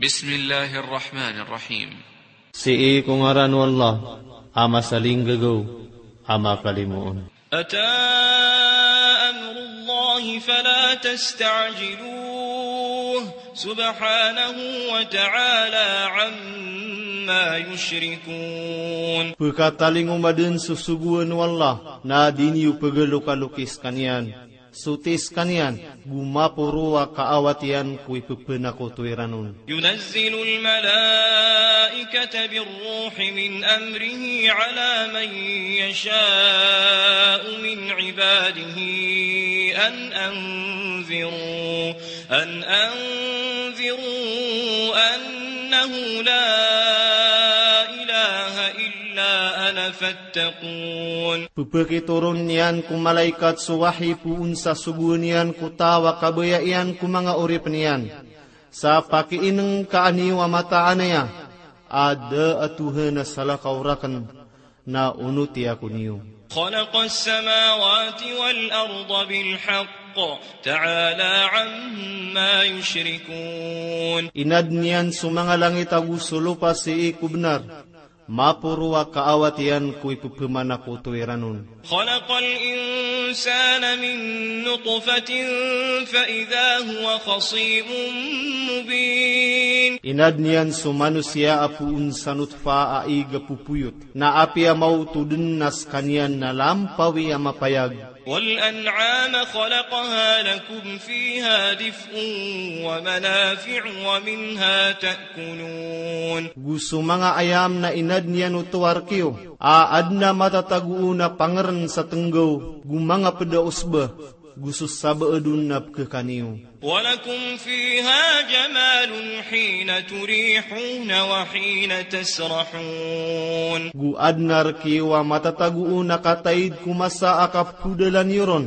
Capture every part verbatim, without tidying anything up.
بسم الله الرحمن الرحيم. Sii ko ngaran o Allah, a masalinggagaw, a makalimoon. أتى أمر الله فلا تستعجلوه سبحانه وتعالى عما يشركون. Pkatalingoma dn so sogoan o Allah, na di niyo pgalokalokis kaniyan. Sotis kaniyan, go maporo a kaawat iyan ko ipphanakoto iran on. ينزل الملائكة بالروح من أمره على من يشاء من عباده أن أنذروا، أن أنذروا أنه لا إله إلا أنا فاتقون. Pphakitoron iyan ko malaikat so wahi poon sa sogoan iyan ko taw a kabaya iyan ko manga oripn iyan. Sa pakiinngka niyo a mataan aya a da a Tohan a salakaw rakn, na onoti ako niyo. خلق السماوات والأرض بالحق تعالى عما يشركون. Inadn iyan so manga langit ago so lopa sii ko bnar, maporo a kaawat iyan ko ipphanakoto iran on. خلق الإنسان من نطفة فإذا هو خصيم مبين. Inadn iyan so manosiya a poon sa notfa a ig a popoyot, na apiya maoto dn na skaniyan na lampawi a mapayag. والأنعام خلقها لكم فيها دفء ومنافع ومنها تأكلون. Go so manga ayam na inadn iyan oto a rk iyo, a adn a matatago on a pangrn sa tnggaw, go manga pd a osba, go so sabaad on na pkhakan iyo. ولكم فيها جمال حين تريحون وحين تسرحون. Go adn a rk iyo a matatago on a kataid ko masa a kaphodalan iyo ron,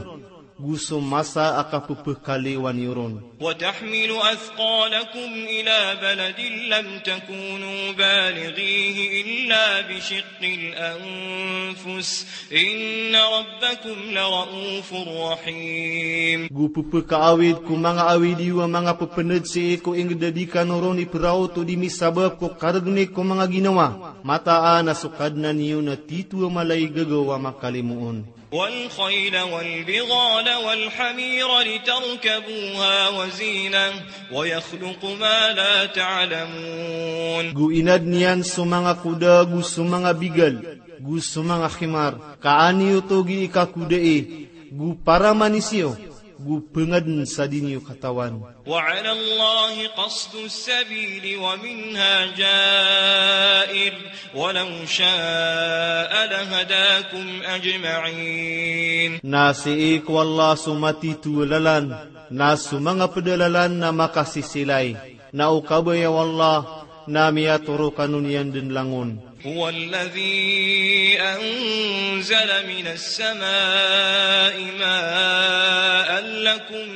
go so masa a kapphakaliwan iyo ron. وتحمل أثقالكم إلى بلد لم تكونوا بالغيه إلا بشق الأنفس إن ربكم لرءوف رحيم. Go pphakaawid ko manga awid iyo a manga pphnad sii ko ingd a di kano ron ipraot o di misabap ko kargni ko manga ginawa. Mataan a so Kadnan iyo na titho a mala i gagaw a makalimoon. والخيل والبغال والحمير لتركبوها وزينة ويخلق ما لا تعلمون. Go inadn iyan so manga koda, go so manga bigal, go so manga himar, ka an iyo oto gii kakodai, go para manis iyo, go pngadn sa di niyo katawan. وعلى الله قصد السبيل ومنها جائر ولو شاء لهداكم أجمعين. Na sii ko Allah so matitho a lalan, na so manga pd a lalan na makasisilay, na o kabaya o Allah na miyatoro kano niyan dn langon. هو الذي أنزل من السماء ماء لكم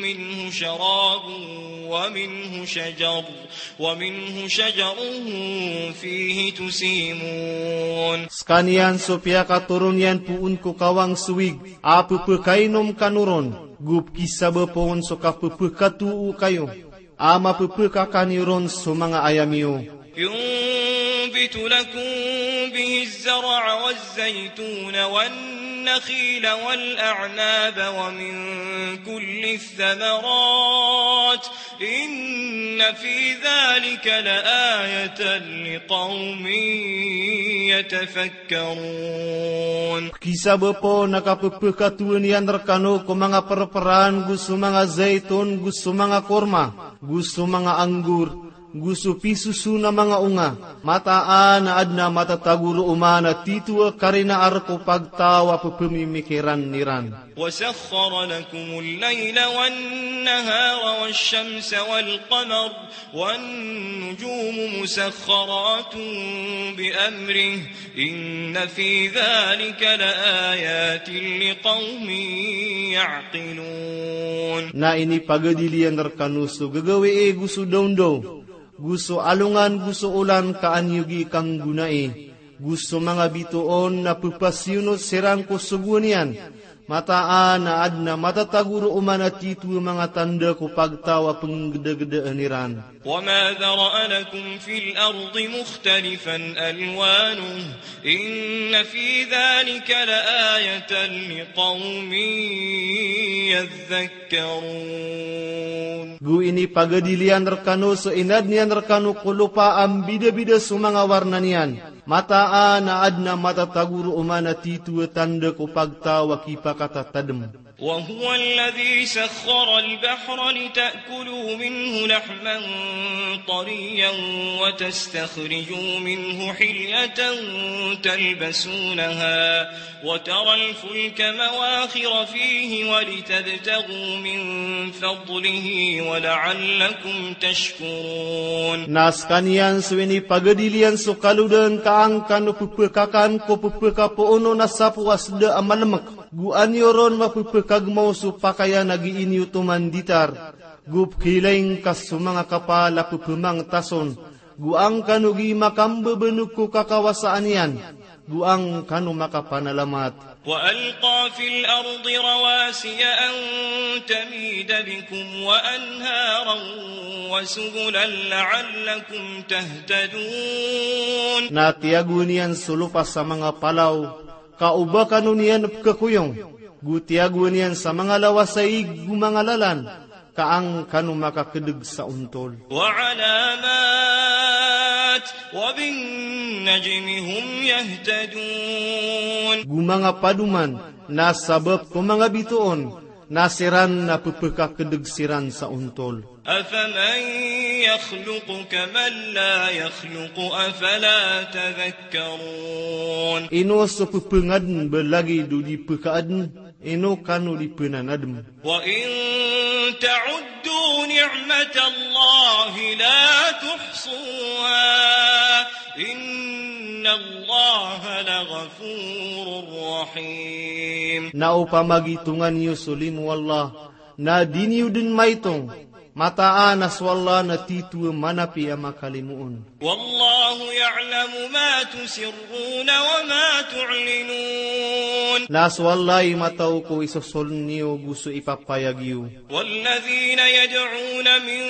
منه شراب ومنه شجر، ومنه شجر فيه تسيمون. Skaniyan so piyakatoron iyan poon ko kawang so wig a pphakainom kano ron, go pkisabapa on so kapphakatoo kayo a mapphakakan iyo ron so manga ayam iyo. ينبت لكم به الزرع والزيتون والنخيل والأعناب ومن كل الثمرات إن في ذلك لآية لقوم يتفكرون. Pkisabapa on a kapphakatoon iyan rkano ko manga prpraan, go so manga zaitun, go so manga korma, go so manga anggur, go so pisoson a manga onga. Mataan a adn a matatago roo man a titho a karina a rk o pagtaw a pphamimikiran iran. وسخر لكم الليل والنهار والشمس والقمر والنجوم مسخرات بأمره إن في ذلك لآيات لقوم يعقلون. Na inipagadil iyan rkano so gagawii go so dawndaw, go so alongan, go so olan ka an iyo gii kanggonai, go so manga bitoon na pphasiyonot siran ko sogoan iyan, Mataan a adn a matatago roo man a titho a manga tanda ko pagtaw a pnggdagdaan iran. وما ذرأ لكم في الأرض مختلفا ألوانه إن في ذلك لآية لقوم يذكرون. Go inipagadil iyan rkano so inadn iyan rkano ko lopa a mbidabida so manga warna niyan. Mataan a adn a matatago roo man a titho a tanda ko pagtaw a kipakatatadm. وهو الذي سخر البحر لتأكلوا منه لحما طريا وتستخرجوا منه حلية تلبسونها وترى الفلك مواخر فيه ولتبتغوا من فضله ولعلكم تشكرون. Na skaniyan so inipagadil iyan so kalodaan ka an kano pphakakan ko pphakapoono na sapo a sda a malmk. Go an iyo ron mapphakagmaw so pakayan a gii niyo toman ditar. Go pkhilaing ka so manga kapal a pphmangtas on. Go an kano gii makambabanok ko kakawasaan iyan. Go an kano makapanalamat. وألقى في الأرض رواسي أن تميد بكم وأنهارا وسبلا لعلكم تهتدون. Na tiyagoan iyan so lopa sa manga palaw, ka o ba kano niyan pkhakoyong, go tiyagoan iyan sa manga lawas a ig go manga lalan, ka an kano makakdg sa ontol. وعلامات وبالنجم هم يهتدون. Go manga padoman, na sabap ko manga bitoon, na siran na pphakakdg siran sa ontol. أفمن يخلق كمن لا يخلق أفلا تذكرون. Ino so pphangadn ba lagid o di pkhaadn, ino kano di pnanadm. وإن تعدوا نعمة الله لا تحصوها إن الله لغفور رحيم. Na opama gitongan iyo so limo o Allah, na di niyo dn maitong, mataan a so Allah na titho a manapi a makalimoon. والله يعلم ما تسرون وما تعلنون. Na so Allah i mataw ko isosoln iyo go so ipapayag iyo. والذين يدعون من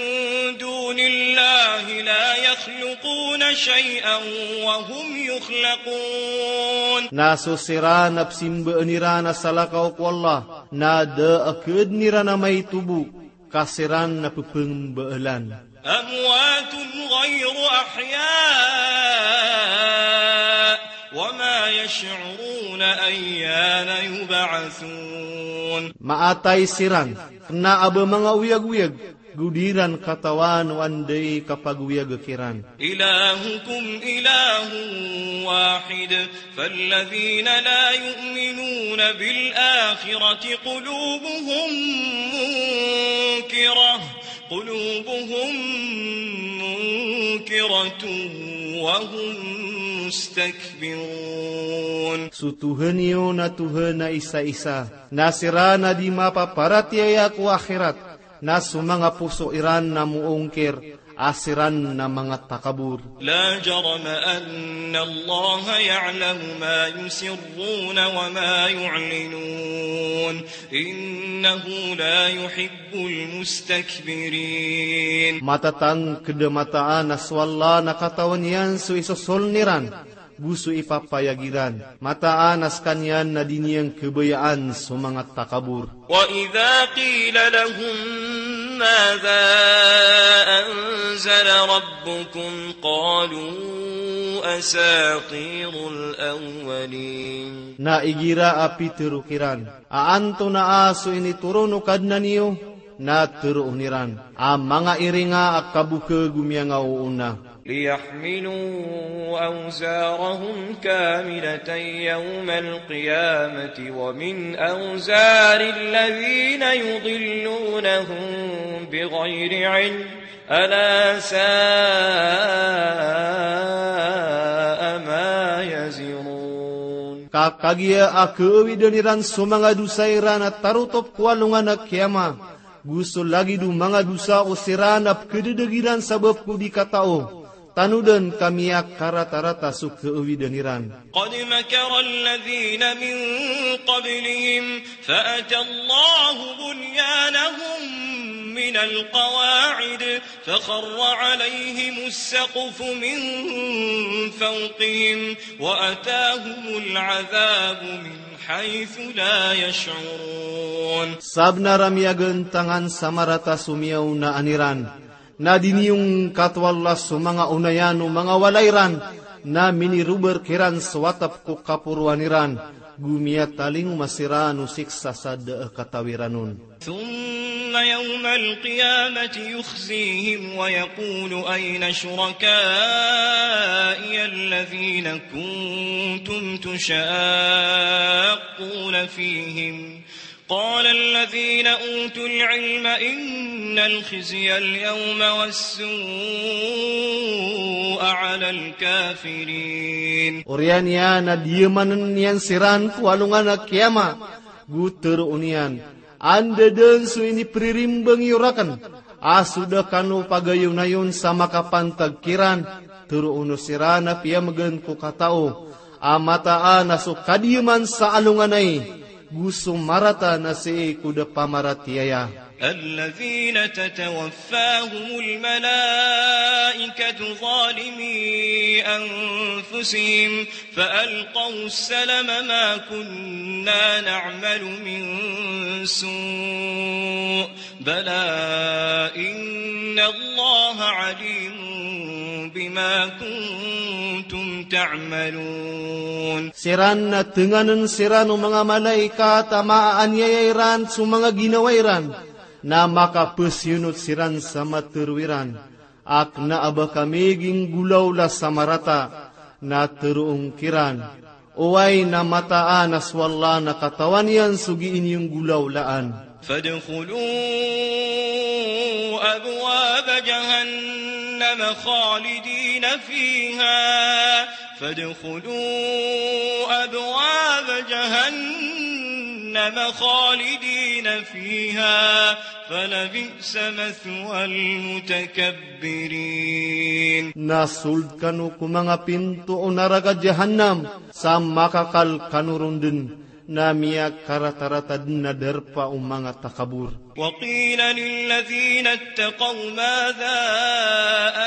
دون الله لا يخلقون شيئا وهم يخلقون. Na so siran a psimbaan iran a salakaw ko Allah, na da a khaadn iran a maito bo, ka siran na pphmbaalan. أموات غير أحياء وما يشعرون أيان يبعثون. Maatay siran, kna a ba manga oyagoyag, go di iran katawan o anda i kapagoyag kiran. إلهكم إله واحد فالذين لا يؤمنون بالآخرة قلوبهم منكرة، قلوبهم منكرة وهم مستكبرون. So Tuhan iyo na Tuhan a isa-isa, na siran a di mapaparatiyaya ko akhirat, na so manga poso iran na moongkir, a siran na manga takabor. لا جرم أن الله يعلم ما يسرون وما يعلنون إنه لا يحب المستكبرين. Matatangkd a mataan a so Allah na katawan iyan so isosoln iran go so ipapayag iran. Mataan a skaniyan na di niyan khabayaan so manga takabor. وإذا قيل لهم ماذا أنزل ربكم قالوا أساطير الأولين. Na igira a pitharo kiran a antonaa so initoron o Kadnan iyo, na tharoon iran a manga iringa a kabokha go miyangaoona. ليحملوا أوزارهم كاملة يوم القيامة ومن أوزار الذين يضلونهم بغير علم ألا ساء ما يزرون. Ka kagiya a khaawidan iran so manga dosa iran a tarotop ko alongan a kiyama, go so lagid o manga dosa o siran a pkhadadagi ran sabap ko di katao, Tano dn ka miyakaratarata so khaawidn iran. قد مكر الذين من قبلهم فأتى الله بنيانهم من القواعد فخر عليهم السقف من فوقهم وأتاهم العذاب من حيث لا يشعرون. Sabnar a miyagantang sa marata so miyaonaan iran, na diniyongkat o Allah so manga onayan o manga walay ran, na minirobar kiran so atap ko kaporoan iran, go miyatalingoma siran o siksa sa da a katawi ran on. ثم يوم القيامة يخزيهم ويقول أين شركائي الذين كنتم تشاقون فيهم قال الذين أوتوا العلم إن الخزي اليوم والسوء على الكافرين. Oriyan iyan na diyamanan iyan siran ko alongan a kiyama, go tharoon iyan, anda dn so inipririmbang iyo rakn a so da kano pagayonayon sa makapantag kiran? Tharoon o siran a piyamgn ko katao a mataan a so kadiyaman sa alongan ai go so marata na sii ko da pamaratiyaya. الذين تتوفاهم الملائكة ظالمي أنفسهم فألقوا السلم ما كنا نعمل من سوء بلى إن الله عليم بما كنتم تعملون. Siran na tnganan siran o manga malaikat a maaniyaya iran so manga ginawa iran, na makapasiyonot siran sa matharo iran a kna a ba kami ginggolawla sa marata. Na tharoon kiran, oway, na mataan a so Allah na katawan iyan so gii niyo nggolawlaan. فادخلوا أبواب جهنم خالدين فيها فادخلوا أبواب جهنم خالدين فيها فلبئس مثوى المتكبرين. Na sold kano ko manga pinto o naraka Jahannam, sa makakal kano ron dn, na miyakaratarata dn a darpa o manga takabor. وقيل للذين اتقوا ماذا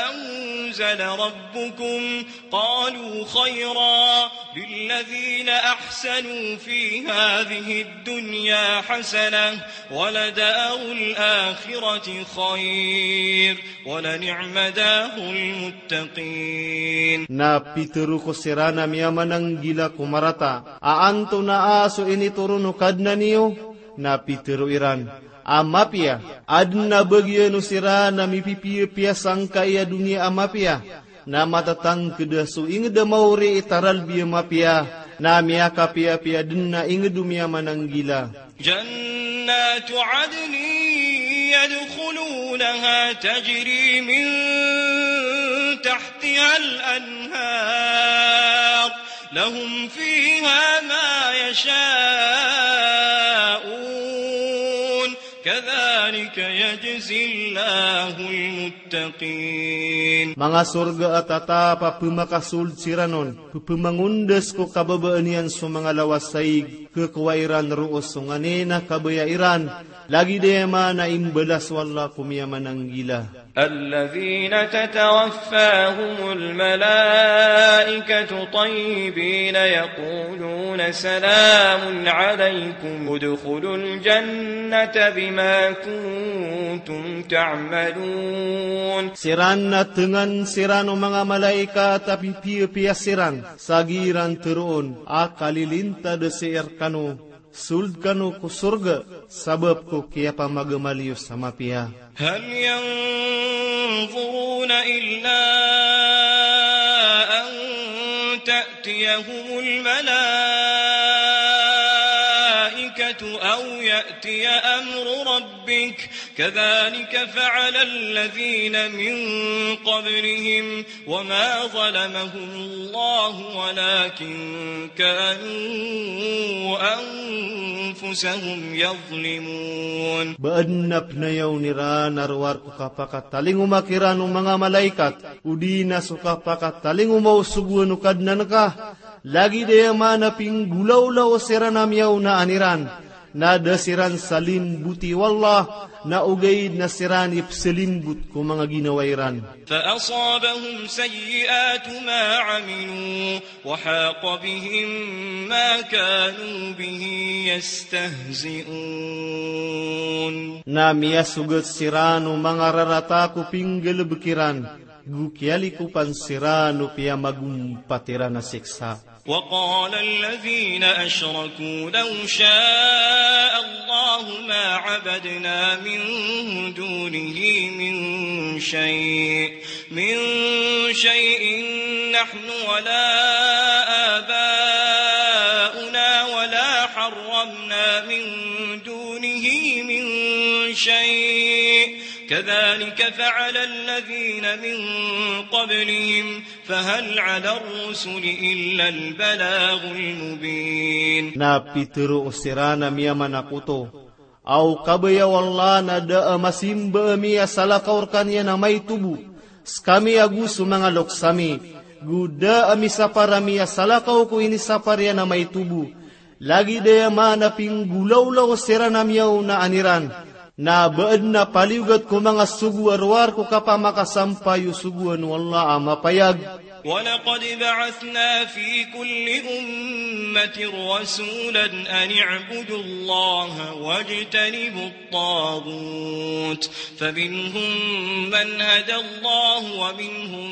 أنزل ربكم قالوا خيرا للذين أحسنوا في هذه الدنيا حسنة ولدار الآخرة خير ولنعم دار المتقين. Na pitharo ko siran a miyamananggila ko marata a antonaa so initoron o Kadnan iyo? Na pitharo iran a mapiya. Adn a bagian o siran a mipipiyapiya sangkai a doniya a mapiya, na matatangkd a so ingd a maori i taralbi a mapiya, na miyakapiyapiya dn a ingd o miyamananggila. جنات عدن يدخلونها تجري من تحتها الأنهار لهم فيها ما يشاءون كذلك يجزي الله المتقين. Manga sorga a tatap a pmakasold siran on, pphmangondas ko kababaan iyan so manga lawas a ig, khakowa iran roo so nganin a kabaya iran, lagid aya man a imbalas o Allah ko miyamananggila. الذين تتوفاهم الملائكة طيبين يقولون سلام عليكم ادخلوا الجنة بما كنتم تعملون. Siran na tngan siran o manga malaikat a pipiyapiya siran, sa giran tharoon a kalilintad sii rkano, sold kano ko sorga sabap ko kiyapamagamal iyo sa mapiya. هل ينظرون إلا أن تأتيهم الملائكة أو يأتي أمر ربك كذلك فعل الذين من قبلهم وما ظلمهم الله ولكن كانوا أنفسهم يظلمون. Ba adn a pnayawn iran a rowar ko kapakatalingoma kiran o manga malaikat, odi na so kapakatalingoma o sogoan o Kadnan ka, lagid aya maana a pinggolawla o siran a miyaonaan iran, na da siran salimboti o Allah, na ogaid na siran i psalimbot ko manga ginawa iran. فأصابهم سيئات ما عملوا وحاق بهم ما كانوا به يستهزئون. Na miyasogat siran o manga rarata ko pinggalbk iran, go kiyalikopan siran o piyamagompat iran a siksa. وقال الذين أشركوا لو شاء الله ما عبدنا من دونه من شيء، من شيء نحن ولا آباؤنا ولا حرمنا من دونه من شيء، كذلك فعل الذين من قبلهم، فهل على الرسل إلا البلاغ المبين. Na pitharo siran a miyamanakoto, aw kabaya o Allah na da a masimba ami a salakaw rkaniyan a maito bo, skami ago so manga loks ami, go da a misapar ami a salakaw ko inisapar iyan a maito bo, lagid aya maana a pinggolawla o siran a miyaonaan iran, na ba adn a paliyogat ko manga sogo a rowar ko kapamakasampay o sogoan o Allah a mapayag. ولقد بعثنا في كل أمة رسولا أن اعبدوا الله واجتنبوا الطاغوت، فمنهم من هدى الله ومنهم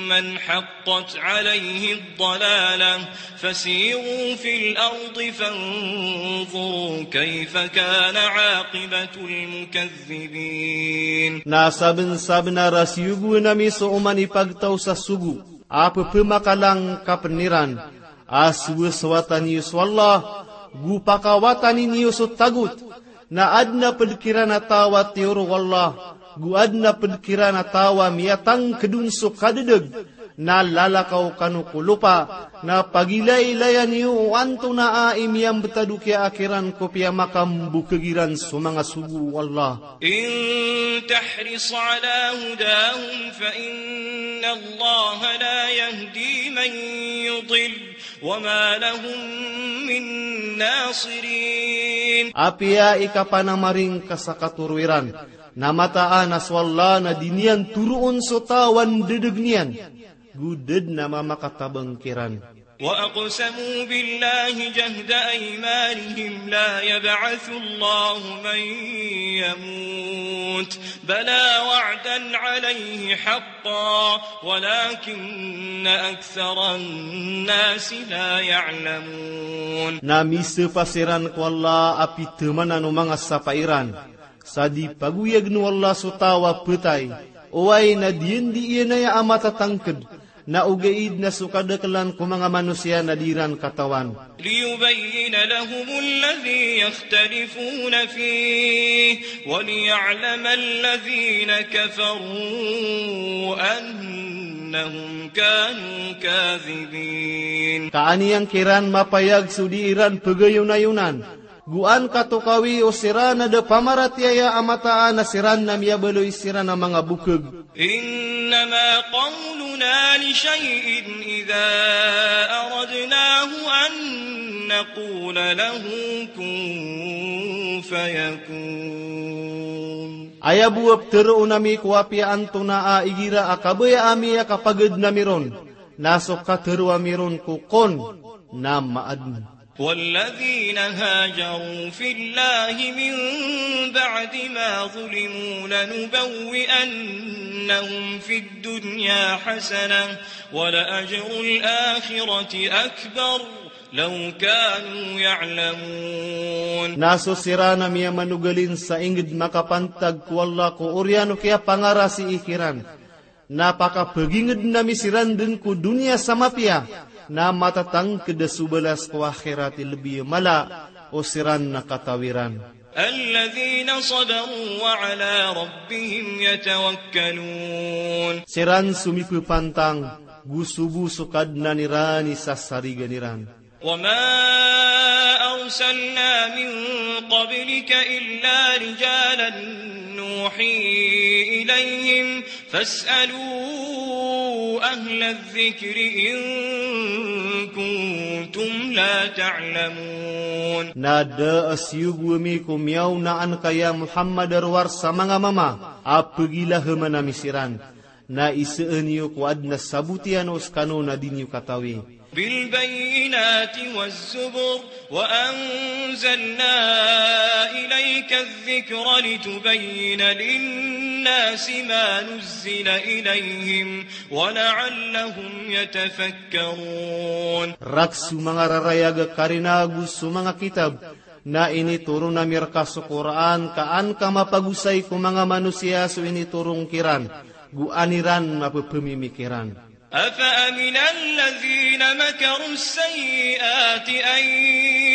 من حقت عليه الضلالة، فسيروا في الأرض فانظروا كيف كان عاقبة المكذبين. Na sabnsabnar a siyogoan ami so oman i pagtaw sa sogo a pphamakalaangkapn iran, a sowasowatan iyo so Allah, go pakawatani niyo so tagot, na adn a pd kiran a taw a tiyoro o Allah, go adn a pd kiran a taw a miyatangkd on so kadadg, na lalakaw kano ko lopa, na pagilaylayan iyo o antonaa i miyambtad o kiyaakhiran ko piyamakambokhag iran so manga sogo o Allah. إن تحرص على هداهم فإن الله لا يهدي من يضل وما لهم من ناصرين. Apiya ikapanamaring ka sa katoro iran, na mataan a so Allah na di niyan toroon so taw a ndadg iyan, go da dn a mamakatabang kiran. وأقسموا بالله جهد أيمانهم لا يبعث الله من يموت بلى وعدا عليه حقا ولكن أكثر الناس لا يعلمون. Na misapa siran ko Allah a pithamanan o manga sapa iran, sa di pagoyagn o Allah so taw a phatay, oway na di niyan aya a matatangkd, na ogaid na so kadaklan ko manga manosiya na di iran katawan. ليبين لهم الذي يختلفون فيه وليعلم الذين كفروا أنهم كانوا كاذبين. Ka an iyan kiran mapayag so di iran pagayonayonan, go an katokawi o siran a da pamaratiyaya a mataan a siran na miyabaloy siran a manga bokhag. إنما قولنا لشيء إذا أردناه أن نقول له كن فيكون. Aya bo a ptharoon ami ko apiya antonaa igira a kabaya ami a kapagadn ami ron, na so katharo ami ron ko kun, na maadn. والذين هاجروا في الله من بعد ما ظلموا لنبوئنهم في الدنيا حسنة ولأجر الآخرة أكبر لو كانوا يعلمون. Na so siran a miyamanogalin sa ingd makapantag ko Allah ko oriyan o kiyapangarasii kiran, na pakapagingdn ami siran dn ko doniya sa mapiya, na matatangkd a so balas ko akhirat i lbi a mala o siran na kataw iran. الذين صبروا وعلى ربهم يتوكلون. Siran so mipepantang, go so bo so Kadnan iran i sasarigan iran. وما أرسلنا من قبلك إلا رجالا نوحي إليهم فاسألوا أهل الذكر إن كنتم لا تعلمون. Na da a siyogo ami ko miyaona anka ya Muhammad a rowar sa manga mama a pegilaheman ami siran. Na iseen iyo ko aden a saboti ano sekano na di niyo katawi. بالبينات والزبر وأنزلنا إليك الذكر لتبين للناس ما نزل إليهم ولعلهم يتفكرون. Rek so manga rarayag a karina ago so manga kitab, na initoron ami reka so Qur'an, ka an ka mapagosay ko manga manosiya so initoron kiran, go an iran mapepemimikiran. أفأمن الذين مكروا السيئات أن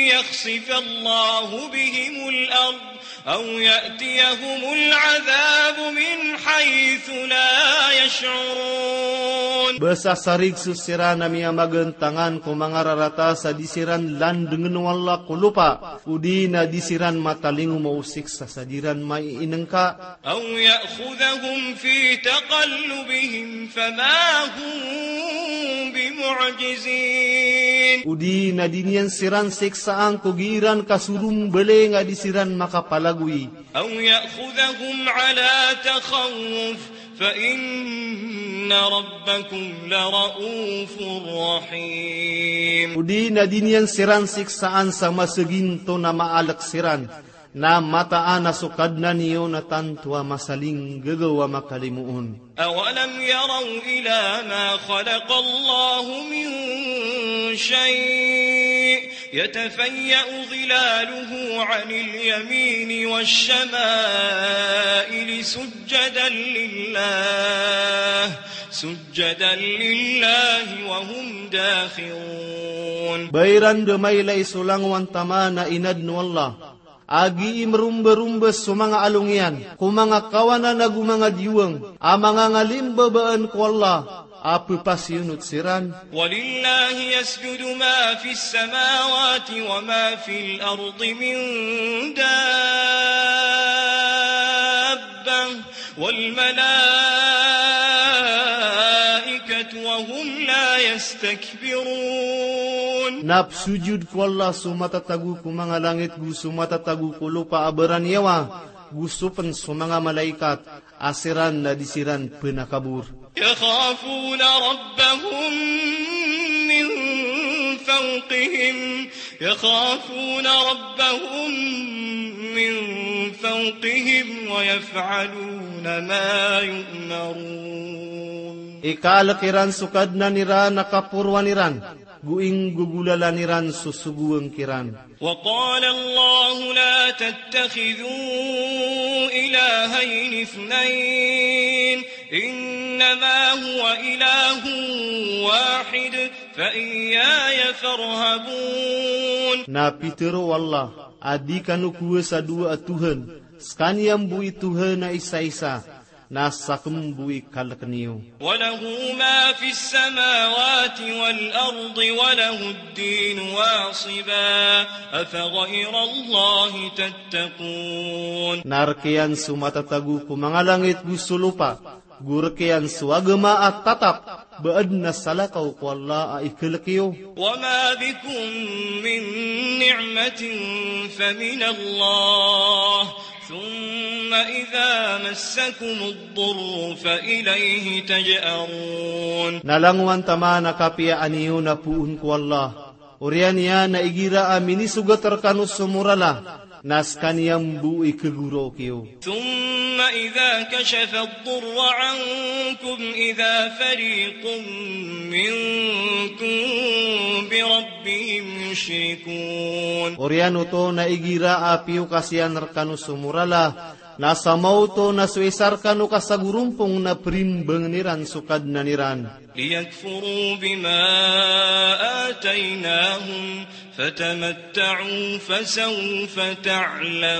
يخسف الله بهم الأرض أو يأتيهم العذاب من حيث لا يشعرون. Ba sasarig so siran a miyamagentangan ko manga rarata sa di siran landengen o Allah ko lopa, odi na di siran matalingoma o siksa sa di ran maiinengka. أو يأخذهم في تقلبهم فما هم بمعجزين. Odi na di niyan siran siksaan ko gii ran kasorombaling a di siran makapalagoy. أو يأخذهم على تخوف فإن ربكم لرءوف رحيم. Odi na di niyan siran siksaan sa maseginto na maalek siran, na mataan a so Kadnan iyo na tanto a masalinggagaw a makalimoon. أولم يروا إلى ما خلق الله من شيء يتفيأ ظلاله عن اليمين والشمائل سجدا لله، سجدا لله وهم داخرون. Ba iran da mailay so langowan taman a inaden o Allah a gii meromberomber so manga along iyan ko manga kawanan ago manga diwang a manga ngalimbabaan ko Allah a pepasiyonot siran. ولله يسجد ما في السماوات وما في الأرض من دابة والملائكة وهم لا يستكبرون. Na pesojod ko Allah so matatago ko manga langit go so matatago ko lopa a baraniyawa, go so pen so manga malaikat, a siran na di siran penakabor. يخافون ربهم من فوقهم، يخافون ربهم من فوقهم ويفعلون ما يؤمرون. Ikaalek iran so Kadnan iran a kaporoan iran, go inggogolalan iran so sogoan kiran. وقال الله لا تتخذوا إلهين اثنين إنما هو إله واحد فإياي فارهبون. Na pitero o Allah a di kano kowasa dowa a Tohan, sekaniyan bo i Tohan a isaisa, na saken bo i kaleken iyo. وله ما في السماوات والأرض وله الدين واصبا أفغير الله تتقون. Na rek iyan so matatago ko manga langit go so lopa, go rek iyan so agama a tatap, ba aden a salakaw ko Allah a ikalek iyo. وما بكم من نعمة فمن الله ثم إذا مسكم الضر فإليه تجأرون. Na langowan taman a kapiyaan iyo na poon ko Allah, oriyan iyan a igira a minisogat rekano so morala, na sekaniyan bo i kegorok iyo. ثم إذا كشف الضر عنكم إذا فريق منكم بربهم يشركون. Oriyan oto na igira a piyokas iyan rekano so morala, Na sa maoto na so isa rkano ka sagorompong na primbangn iran so Kadnan iran. ليكفروا بما آتيناهم فتمتعوا فسوف تعلمون.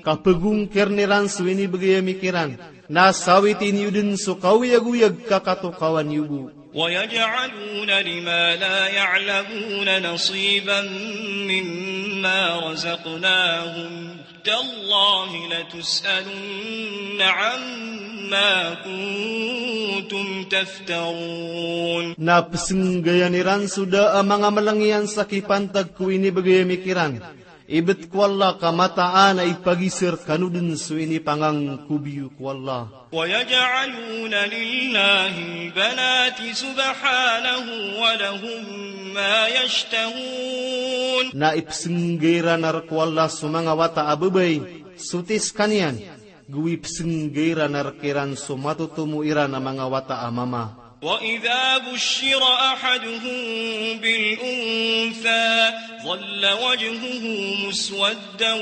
Ka pagongkirn iran so inibgay ami kiran, na sawiti niyo dn so kaoyagoyag ka katokawan iyo bo. ويجعلون لما لا يعلمون نصيبا مما رزقناهم تالله لتسألن عما كنتم تفترون. Na psnggayan iran so da a manga mlngiyan sa kipantag ko inibgay ami kiran. Ibt ko Allah ka mataan a ipagisa rkano dn so inipangangkob iyo ko Allah. ويجعلون لله البنات سبحانه ولهم ما يشتهون. Na ipsngga iran rk o Allah so manga wata a babay, soti skaniyan, go ipsngga iran rk iran so matotomo iran a manga wata a mama. وإذا بشر أحدهم بالأنثى ظل وجهه مسودا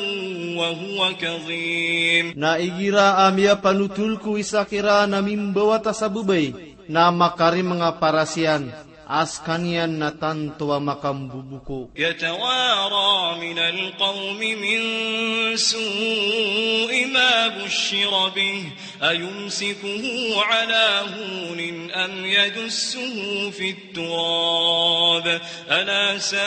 وهو كظيم. Na igira a miyapanotol ko isa kiran a mimbawata sa babay, na makarimnga paras iyan, a skaniyan na tanto a makambobokoh. يتوارى من القوم من سوء ما بشر به أيمسكه على هون أم يدسه في التراب ألا ساء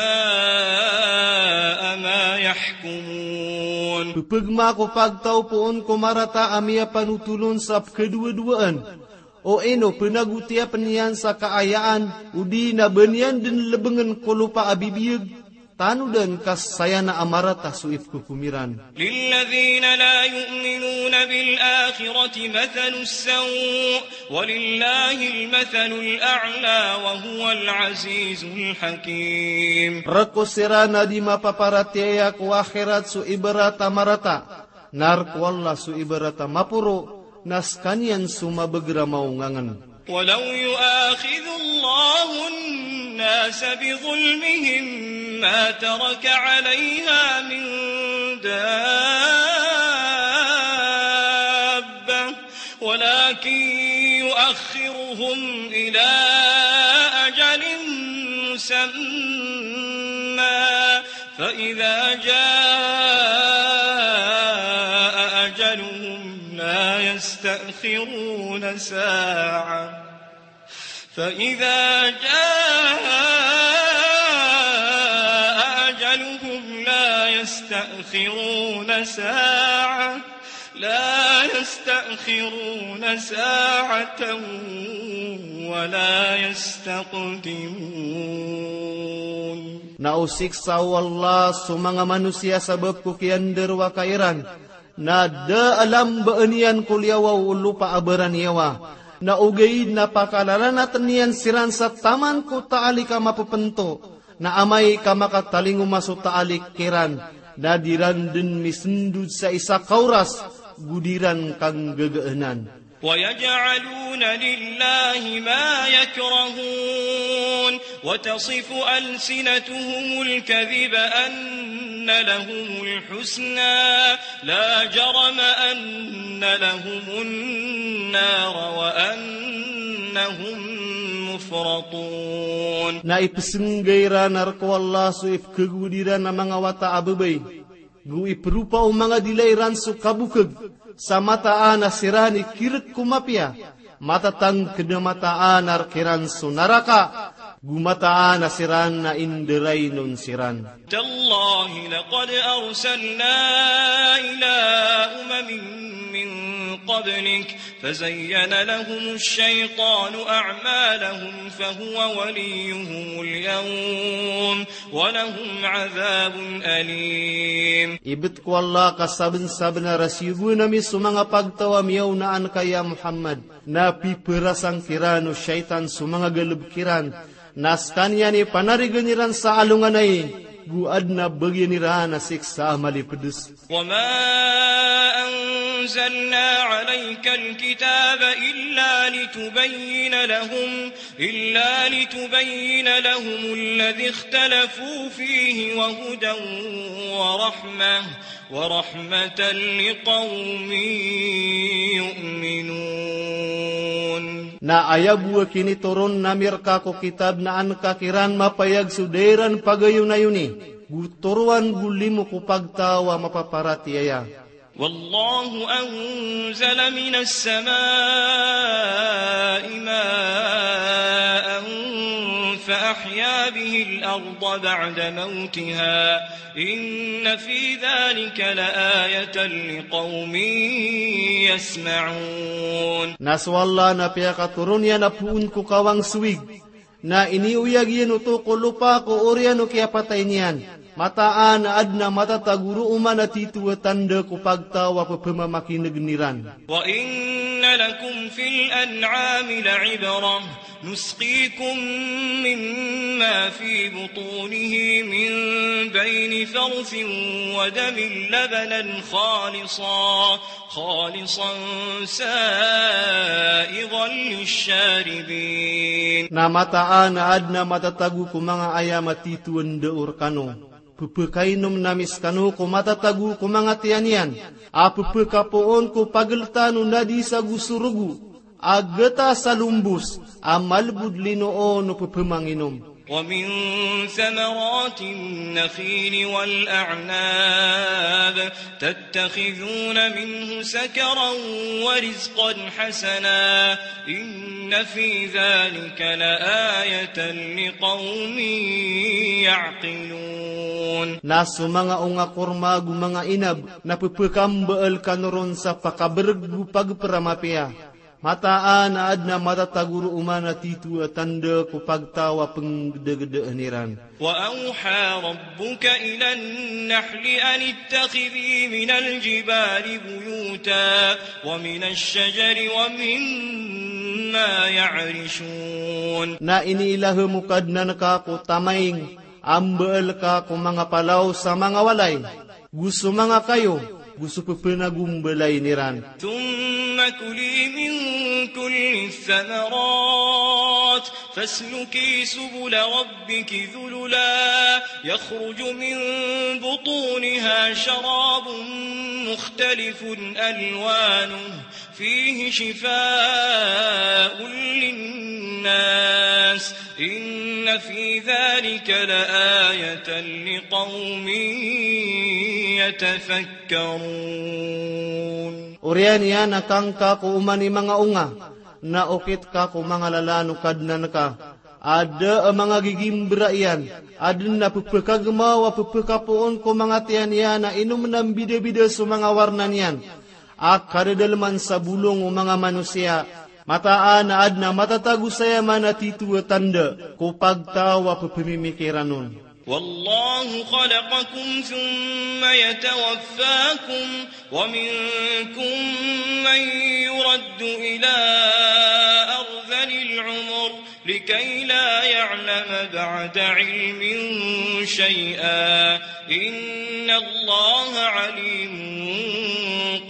ما يحكمون. Ppgma ko pagtaw poon ko marata a miyapanotol on sa pkhadowadowaan, o ino pnagotiya pn iyan sa kaayaan, odi na ba niyan dn lbngn ko lopa a bibiyag, tanodan ka saya na a marata so ipkhokom iran. للذين لا يؤمنون بالآخرة مثل السوء ولله المثل الأعلى وهو العزيز الحكيم. Rk o siran a di mapaparatiyaya ko akhirat so ibarat a marata, na rk o Allah so ibarat a maporo, na skaniyan so mabagr a maongangn. ولو يؤاخذ الله الناس بظلمهم ما ترك عليها من دابة ولكن يؤخرهم إلى أجل مسمى فإذا جاء أجلهم لا يستأخرون ساعة فإذا جاء أجلهم لا يستأخرون ساعة لا يستأخرون ساعة ولا يستقدمون. Na o siksa o Allah so manga manosiya sabap ko kiyandarowaka iran, na da a lambaan iyan ko liyawaw o lopa a baraniyawa, na ogaid na pakalalanatn iyan siran sa taman ko taalik a mapepento, na amay ka makatalingoma so taalik kiran, na di ran dn misndod sa isa ka oras, go di ran kanggagaan. ويجعلون لله ما يكرهون وتصف ألسنتهم الكذب أن لهم الحسنى لا جرم أن لهم النار وأنهم مفرطون. Na ipsngga iran rk o Allah so ipkhagowad iran a manga wata a babay, go ipropa o manga dila iran so kabokg, sa mataan a siran i kirk ko mapiya, matatangkd a mataan a rk iran so naraka, go mataan a siran a indarainon siran. تالله لقد أرسلنا إلى أمم من قبلك فزين لهم الشيطان أعمالهم فهو وليهم اليوم ولهم عذاب أليم. Ibt ko Allah ka sabnsabnar a siyogoan ami so manga pagtaw a miyaona anka ya Muhammad, na piperasang kiran o shaytan so manga galbk iran, na skaniyan i panarigan iran sa alonganay, go adn a bagian iran a siksa a malipds. وما أنزلنا عليك الكتاب إلا لتبين لهم إلا لتبين لهم الذي اختلفوا فيه وهدى ورحمة ورحمة لقوم يؤمنون. Na aya bo a kinitoron ami rka ko kitab na an ka kiran mapayag so da iran pagayonayoni, go toroan go limo ko pagtaw a mapaparatiyaya. والله أنزل من السماء ماء فأحيا به الأرض بعد موتها إن في ذلك لآية لقوم يسمعون. Na so Allah na piyakatoron iyan a poon ko kawang so wig, na iniyoyag iyan oto ko lopa ko oriyan o kiyapatay niyan. Mataan a adn a matatago roo man a tito a tanda ko pagtaw a pphamakinegn iran. وإن لكم في الأنعام لعبرة نسقيكم مما في بطونه من بين فرث ودم لبنا خالصا خالصا سائغا للشاربين. Na mataan a adn a matatago ko manga ayam a tito a ndao rkano. Pphakainomn ami skano ko matatago ko manga tiyan iyan a pphakapoon ko pagltan o nadis ago so rogo a gtas a lombos a malbod lino o pphmanginom. ومن ثمرات النخيل والأعناب تتخذون منه سكرا ورزقا حسنا إن في ذلك لآية لقوم يعقلون. Na so manga onga korma ago manga inab na pphakambal kano ron sa pakabrg go pagpra mapiya. Mataan a adn a matatago roo man a tito a tanda ko pagtaw a pnggdagdaan iran. وأوحى ربك إلى النحل أن اتخذي من الجبال بيوتا ومن الشجر ومما يعرشون. Na iniilahem o Kadnan ka ko tamaing a mbaal ka ko manga palaw sa manga walay, go so manga kayo, go so pphanagombalay iran. ثم كلي من كل الثمرات فاسلكي سبل ربك ذللا يخرج من بطونها شراب مختلف ألوانه فيه شفاء للناس إن في ذلك لآية لقوم يتفكرون. Oriyan iyan a kangka ko oman i manga onga, na okit ka ko manga lalan o Kadnan ka. A da a manga gigimbra iyan, adn a pphakagmaw a pphakapoon ko manga tiyan iyan a inomn a mbidabida so manga warna niyan a kadadalman sa bolong o manga manosiya. Mataan a adn a matatago saya man a tito a tanda ko pagtaw a pphmimikiran on. والله خلقكم ثم يتوفاكم ومنكم من يرد إلى أرذل العمر لكي لا يعلم بعد علم شيئا إن الله عليم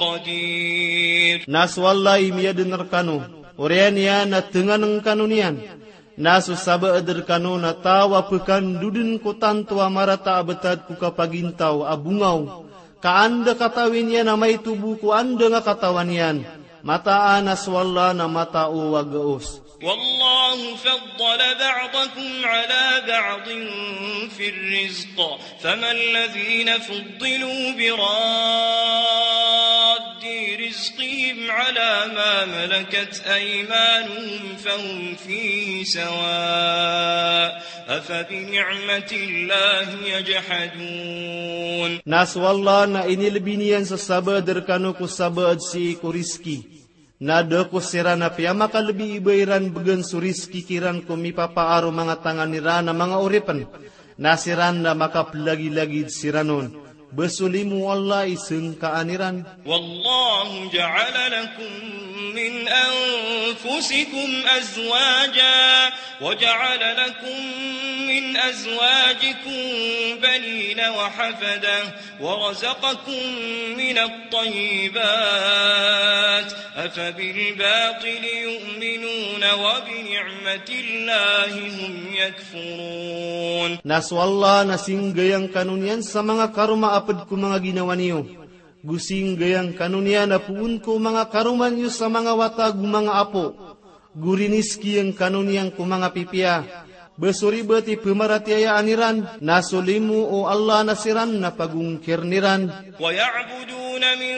قدير. Na so Allah i miyadn rkano, oriyan iyan a tngan ngkano niyan. Na so sabaad rkano na taw a pkandodn ko tanto a marata a btad ko kapagintaw a bongaw, ka anda katawi niyan a maito bo ko anda nga katawan iyan. Mataan a so Allah na matao a gaos. والله فضل بعضكم على بعض في الرزق فما الذين فضلوا براد رزقهم على ما ملكت أيمانهم فهم فيه سواء أفبنعمة الله يجحدون. Na so Allah na inilbi niyan so sabaad rkano ko sabaad sii ko rizki. Na da ko siran a piyamakalbi i ba iran bgan so rizki kiran ko mipapaar o manga tangan iran a manga oripn. Na siran na makaplagilagid siran on. Ba so limo o Allah i sngkaan iran. والله جعل لكم من أنفسكم أزواجا وجعل لكم من أزواجكم بنين وحفدة ورزقكم من الطيبات أفبالباطل يؤمنون وبنعمة نعمة الله هم يكفرون. Na so Allah na singgayang kano niyan sa manga karoma a pd ko manga ginawa niyo. Go singgayang kano niyan a poon ko manga karoma niyo sa manga wata go manga apo. Go riniskiyang kano niyan ko manga pipiya. Ba so ribat i pmaratiyayaan iran, na so limo o Allah na siran na pagongkirn iran. ويعبدون من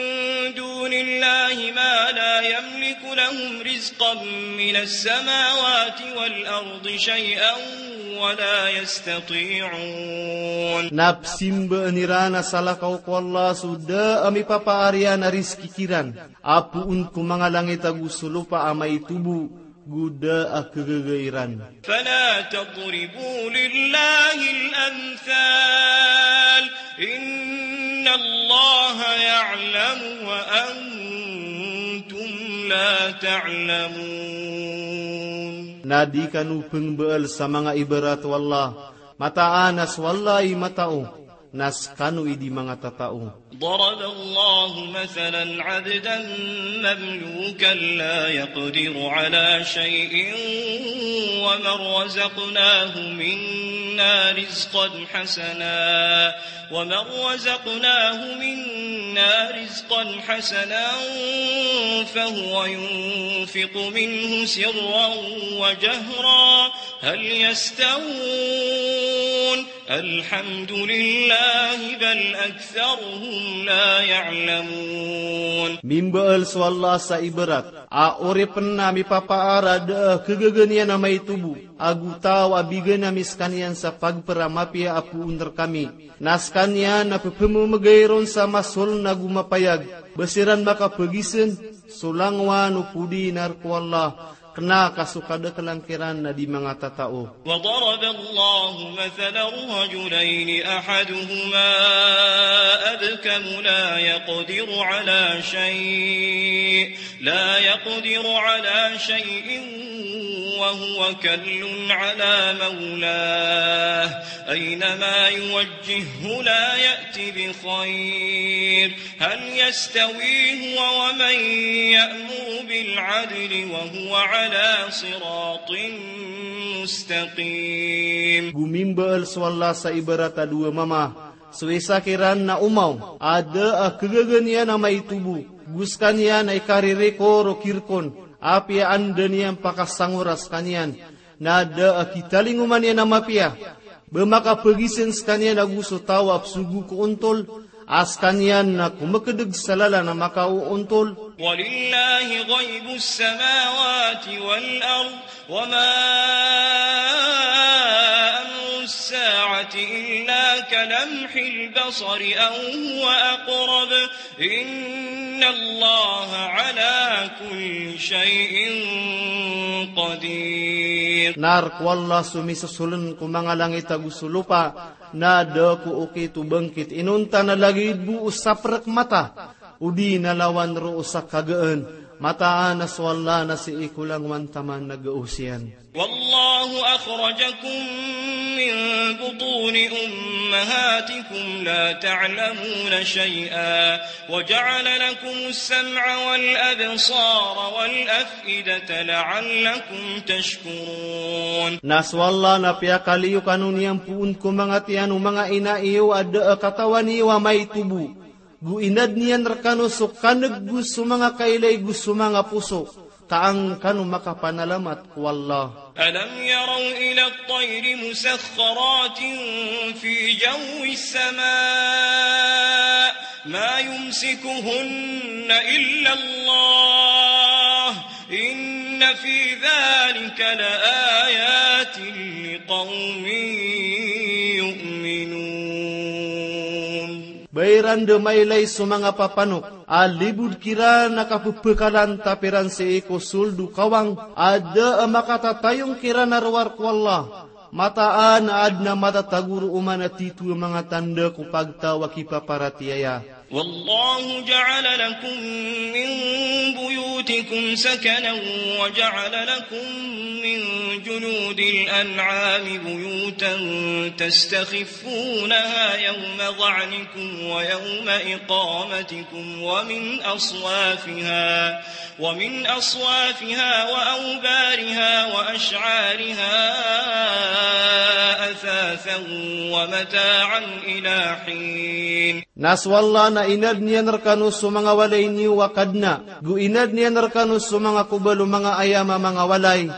دون الله ما لا يملك لهم رزقا من السماوات والأرض شيئا ولا يستطيعون. Na pzimbaan iran a salakaw ko Allah so da a mipapaar iyan a rizki kiran a poon ko manga langit ago so lopa a maitobo, go da a khagaga iran. فلا تضربوا لله الأمثال، إن الله يعلم وأنتم لا تعلمون. Na di kano pngbaal sa manga ibarat o Allah, mataan a so Allah i matao, na skano i di manga tatao. ضرب الله مثلا عبدا مملوكا لا يقدر على شيء ومن رزقناه منا رزقا حسنا، ومن رزقناه منا رزقا حسنا فهو ينفق منه سرا وجهرا، هل يستوون؟ الحمد لله بل أكثرهم لا يعلمون. Mimbaal so Allah sa ibarat a oripn a mipapaar a da a khagaga niyan a maitobo, ago taw a bigan ami skaniyan sa pagpr a mapiya a poon rkami. Na skaniyan a pphamamgay ron sa masoln ago mapayag, ba siran makapagizn so langowan o podi na rk o Allah, kna ka so kadaklan kiran na di manga tatao. وضرب الله مثلا رجلين أحدهما أبكم لا يقدر على شيء، لا يقدر على شيء وهو كل على مولاه أينما يوجهه لا يأت بخير، هل يستوي هو ومن يأمر بالعدل وهو على صراط مستقيم. Go mimbaal so Allah sa ibarat a dowa mama, so isa kiran na omaw a da a khagaga niyan a maitobo, go skaniyan a ikaririkor o kirkon, apiya anda niyan pakasangora skaniyan, na da a kitalingoman iyan a mapiya, ba makapagizn skaniyan ago so taw a pzogo ko ontol, a skaniyan na komkdg sa lalan a makaoontol. ولله غيب السماوات والأرض وما أمر الساعة إلا كلمح البصر أو هو أقرب إن الله على كل شيء قدير. Na rk o Allah so misosoln ko manga langit ago so lopa, na da ko okit o bangkit inonta na lagid bo o saprk mata, odi na lawan roo sa kagaan, mataan a so Allah na sii ko langowan taman na gaos iyan. والله أخرجكم من بطون أمهاتكم لا تعلمون شيئا وجعل لكم السمع والأبصار والأفئدة لعلكم تشكرون. Na so Allah na piyakaliyo kano niyan poon ko manga tiyan o manga ina iyo a da a katawan iyo a maitobo. Go inadn iyan rkano so kaneg go so manga kailay go so manga poso, ka an kano makapanalamat ko Allah. ألم يروا إلى الطير مسخرات في جو السماء ما يمسكهن إلا الله إن في ذلك لآيات لقوم يؤمنون. Ba iran da mailay so manga papanok a libod kiran a kapepekalan tapiran sii ko sold o kawang a da a makatatayong kiran a rowar ko Allah. Mataan a adn a matatago roo man a tito a manga tanda ko pagtaw a kipaparatiyaya. والله جعل لكم من بيوتكم سكنا وجعل لكم من جلود الأنعام بيوتا تستخفونها يوم ظعنكم ويوم إقامتكم ومن أصوافها، ومن أصوافها وأوبارها وأشعارها أثاثا ومتاعا إلى حين. Na so Allah na inadn iyan rkano so manga walay niyo a Kadnan, go inadn iyan rkano so manga kobal o manga ayam a manga walay,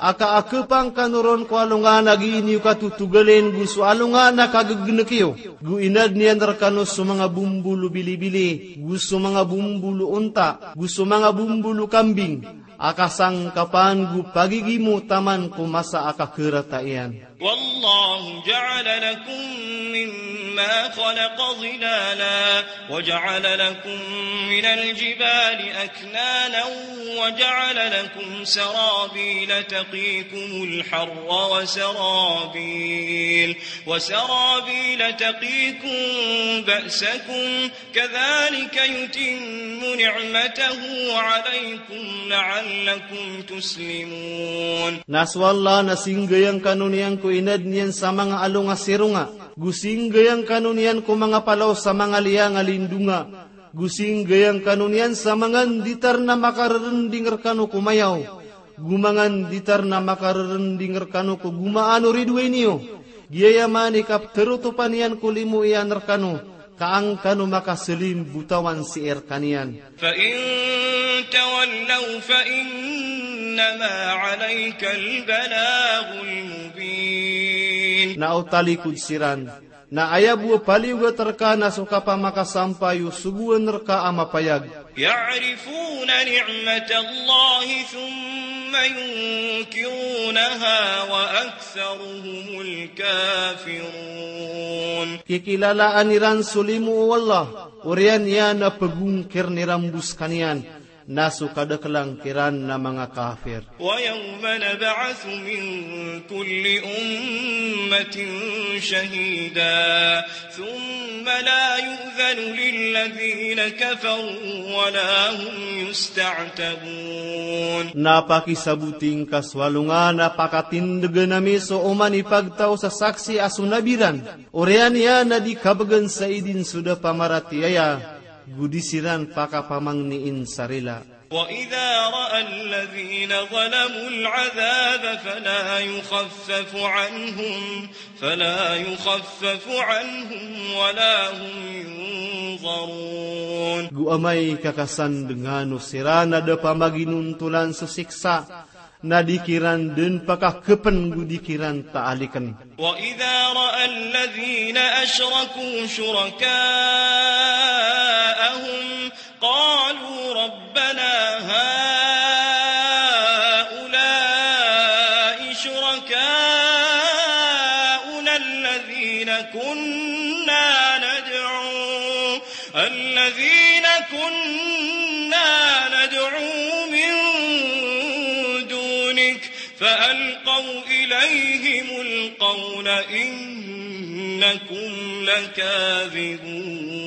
a ka a khapang kano ron ko alongan a gii niyo katotogalin, go so alongan a kaggnek iyo, go inadn iyan rkano so manga bombol o bilibili, go so manga bombol o onta, go so manga bombol o kambing, a kasangkapan go pagigimo taman ko masa a kakharata iyan. والله جعل لكم مما خلق ظلالا وجعل لكم من الجبال أكنانا وجعل لكم سرابيل تقيكم الحر وسرابيل، وسرابيل تقيكم بأسكم كذلك يتم نعمته عليكم لعلكم تسلمون. Na so Allah na singgayang kano niyan ko inadn iyan sa manga along a sironga, go singgayang kano niyan ko manga palaw sa manga liyang a lindonga, go singgayang kano niyan sa manga nditar na makarerending rkano ko mayaw, go manga nditar na makarerending rkano ko gomaan o ridoay niyo. Giyaya man i kapterotopan iyan ko limo iyan rkano, ka an kano makaselimbotawan sii rkaniyan. فإن تولوا فإنما عليك البلاغ المبين. Na o talikod siran, na aya bo a paliyogat rka na so kapamakasampay o sogoan rka a mapayag. يعرفون نعمة الله ثم ينكرونها وأكثرهم الكافرون. Kikilalaan iran so limo o Allah, oriyan iyan a pegongkirn iran bo skaniyan, na so kadaklan kiran na manga kafir. ويوم نبعث من كل أمة شهيدا ثم لا يؤذن للذين كفروا ولا هم يستعتبون. Na pakisaboti ngka so alongan a pakatindegen ami so oman i pagtaw sa saksi a so nabi ran, oriyan iyan a di kabegan sa idin so da pamaratiyaya, go di siran pakapamangniin sa rila. وإذا رأى الذين ظلموا العذاب فلا يخفف عنهم، فلا يخفف عنهم ولا هم ينظرون. Go amay ka kasandengano siran a da pamaginontolan so siksa, na di kiran den pakakepen go di kiran taaliken. وإذا رأى الذين أشركوا شركاءهم قالوا ربنا هؤلاء شركاؤنا الذين كنا ندعو، الذين كنا ندعو من دونك فألقوا إليهم القول إنكم لكاذبون.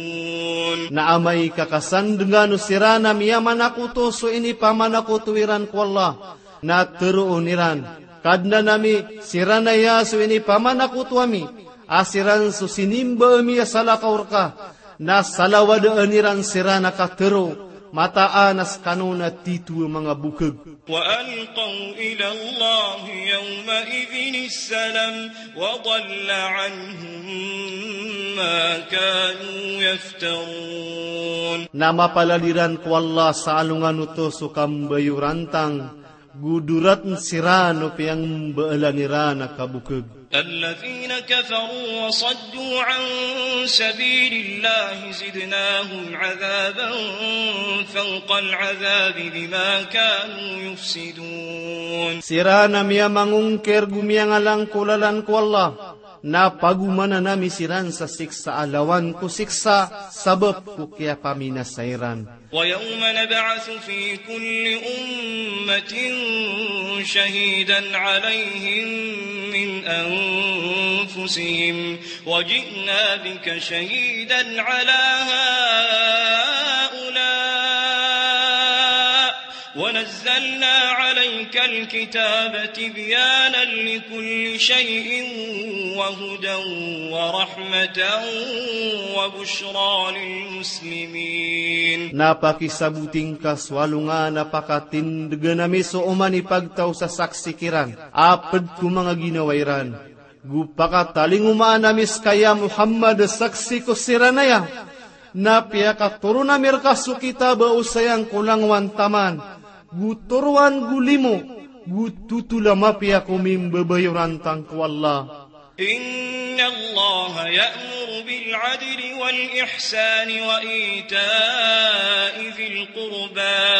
Na amay ka kasandengano siran a miyamanakoto so inipamanakoto iran ko Allah, na teroon iran, Kadnan ami, siran aya so inipamanakoto ami, a siran so sinimba ami a salakaw rka, na salawadaan iran siran a katero, mataan a skano na tito a manga bokeg. وألقوا إلى الله يومئذ السلم وضل عنهم ما كانوا يفترون. Na mapalad iran ko Allah sa alongan oto so kambayorantang, go doratn siran o piyangbaalan iran a kabokeg. الذين كفروا وصدوا عن سبيل الله زدناهم عذابا فوق العذاب بما كانوا يفسدون. Siran a miyamangongkir go miyangalang ko lalan ko Allah, na pagomanan ami siran sa siksa a lawan ko siksa sabap ko kiyapaminasa iran. ويوم نبعث في كل أمة شهيدا عليهم من أنفسهم وجئنا بك شهيدا على ونزلنا عليك الكتاب تبيانا لكل شيء وهدى ورحمة وبشرى للمسلمين. Na pakisaboti ngka so alongan a pakatindgan ami so oman i pagtaw sa saksi kiran, a pd ko manga ginawa iran. Go pakatalingomaan ami ska ya Muhammad saksi ko siran aya. Na piyakatoron ami rka so kitab a osayang ko langowan taman, go toroan go limo, go totol a mapiya ko mimbabayoran tangko Allah. إن الله يأمر بالعدل والإحسان وإيتاء ذي القربى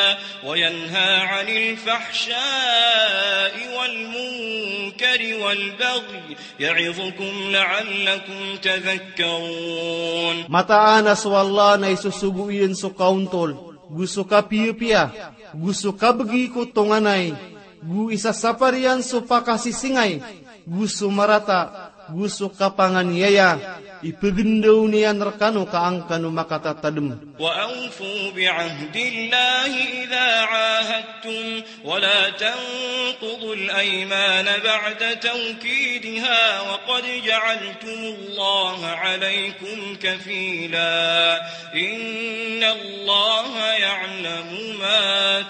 وينهى عن الفحشاء والمنكر والبغي يعظكم لعلكم تذكرون. Mataan a so Allah na isosogo iyan so kaontol, go so kapiyapiya, go so kabgi ko tonganay, go isasapar iyan so pakasisingay, go so marata, go so kapanganiyaya, ipgndaw niyan rkano ka an kano makatatadm. وأوفوا بعهد الله إذا عاهدتم ولا تنقضوا الأيمان بعد توكيدها وقد جعلتم الله عليكم كفيلا إن الله يعلم ما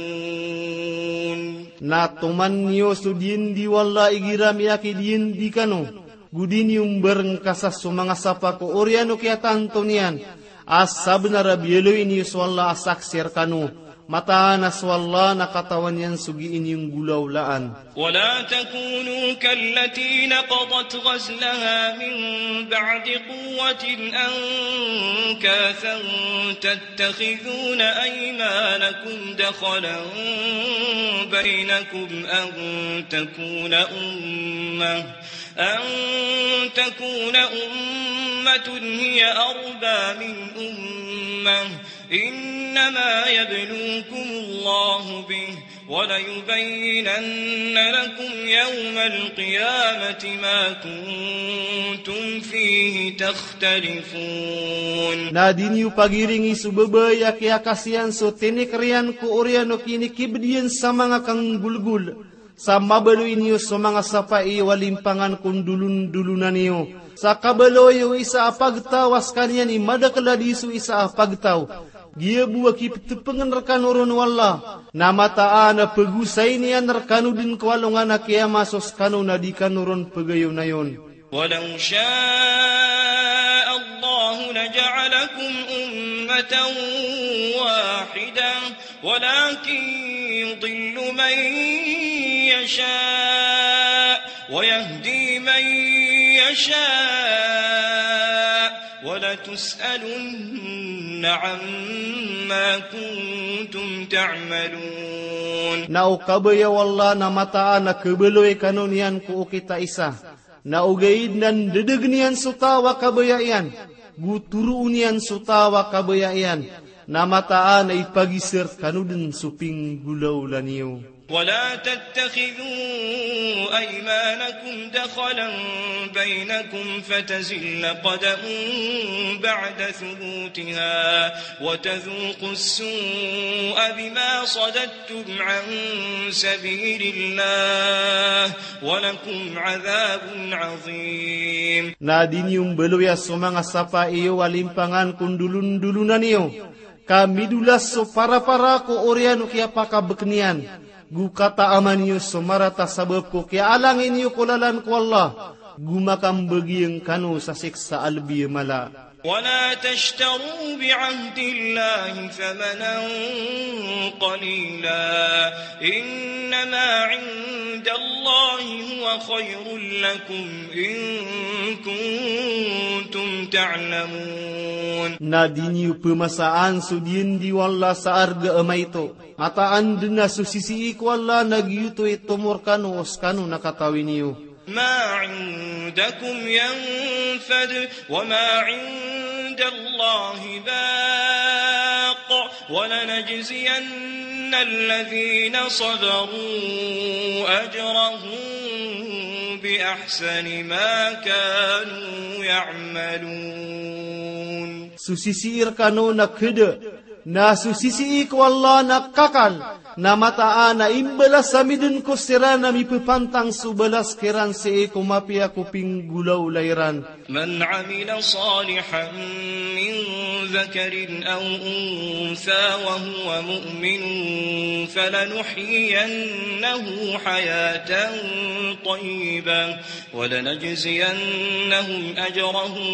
تفعلون. Na toman niyo so diyandi o Allah igira miyakidiyandi kano, go di niyo mbarngkasa so manga sapa ko oriyan o kiyatanto niyan, a sabnar a biyaloy niyo so Allah a saksi rkano, mataan a so Allah na katawan iyan so gii niyo nggolawlaan. ولا تكونوا كالتي نقضت غزلها من بعد قوة أنكاثا تتخذون أيمانكم دخلا بينكم أن تكون أمة أن تكون أمة هي أربى من أمة إنما يبلوكم الله به وليبينن لكم يوم القيامة ما كنتم فيه تختلفون. Na di niyo pagiringi so babay a kiyakasiyan so tinikr iyan ko oriyan o kinikibd iyan sa manga kanggolgol. Sa mabaloy niyo so manga sapa iyo a limpangan ko ndolondolonan iyo. Sa kabaloy o isa a pagtaw a skaniyan i madakl a di so isa a pagtaw. Giya bo a kiptpngn rkano ron o Allah. Na mataan a pgosayn iyan rkano dn ko alongan a kiyama so skano na di kano ron pgayonayon. ولو شاء الله لجعلكم أمة واحدة ولكن يضل من يشاء ويهدي من يشاء ولتسألن عما كنتم تعملون. Na o kabaya o Allah na mataan a khabaloy kano niyan ko okit a isa. Na ogaid na ndadagn iyan so taw a kabaya iyan, go toroon iyan so taw a kabaya iyan, na mataan a ipagizr kano dn so pinggolawla niyo. ولا تتخذوا أيمانكم دخلا بينكم فتزل قدم بعد ثبوتها وتذوقوا السوء بما صددتم عن سبيل الله ولكم عذاب عظيم. Na di niyo mbaloya so manga sapa iyo a limpangan ko ndolondolonan iyo, ka midolas so parapara ko oriyan o kiyapakabkn iyan, go kataaman iyo so marata sabap ko kiyaalangin iyo ko lalan ko Allah, go makambagiyang kano sa siksa a lbi a mala. ولا تشتروا بعهد الله ثمنا قليلا إنما عند الله هو خير لكم إن كنتم تعلمون. Na di niyo pmasaan so diyandi o Allah sa arga a maito. Mataan dn a so sisii ko Allah na giyoto i tomo rkano o skano na katawi niyo. ما عندكم ينفد وما عند الله باق ولنجزين الذين صبروا أجرهم بأحسن ما كانوا يعملون. So sisii rkano na khada Na so sisii ko Allah na kakal, na mataan a imbalas ami dn ko siran a mipepantang so balas kiran sii ko mapiya ko pinggolawla iran. من عمل صالحا من ذكر أو أنثى وهو مؤمن فلنحيينه حياة طيبة ولنجزينهم أجرهم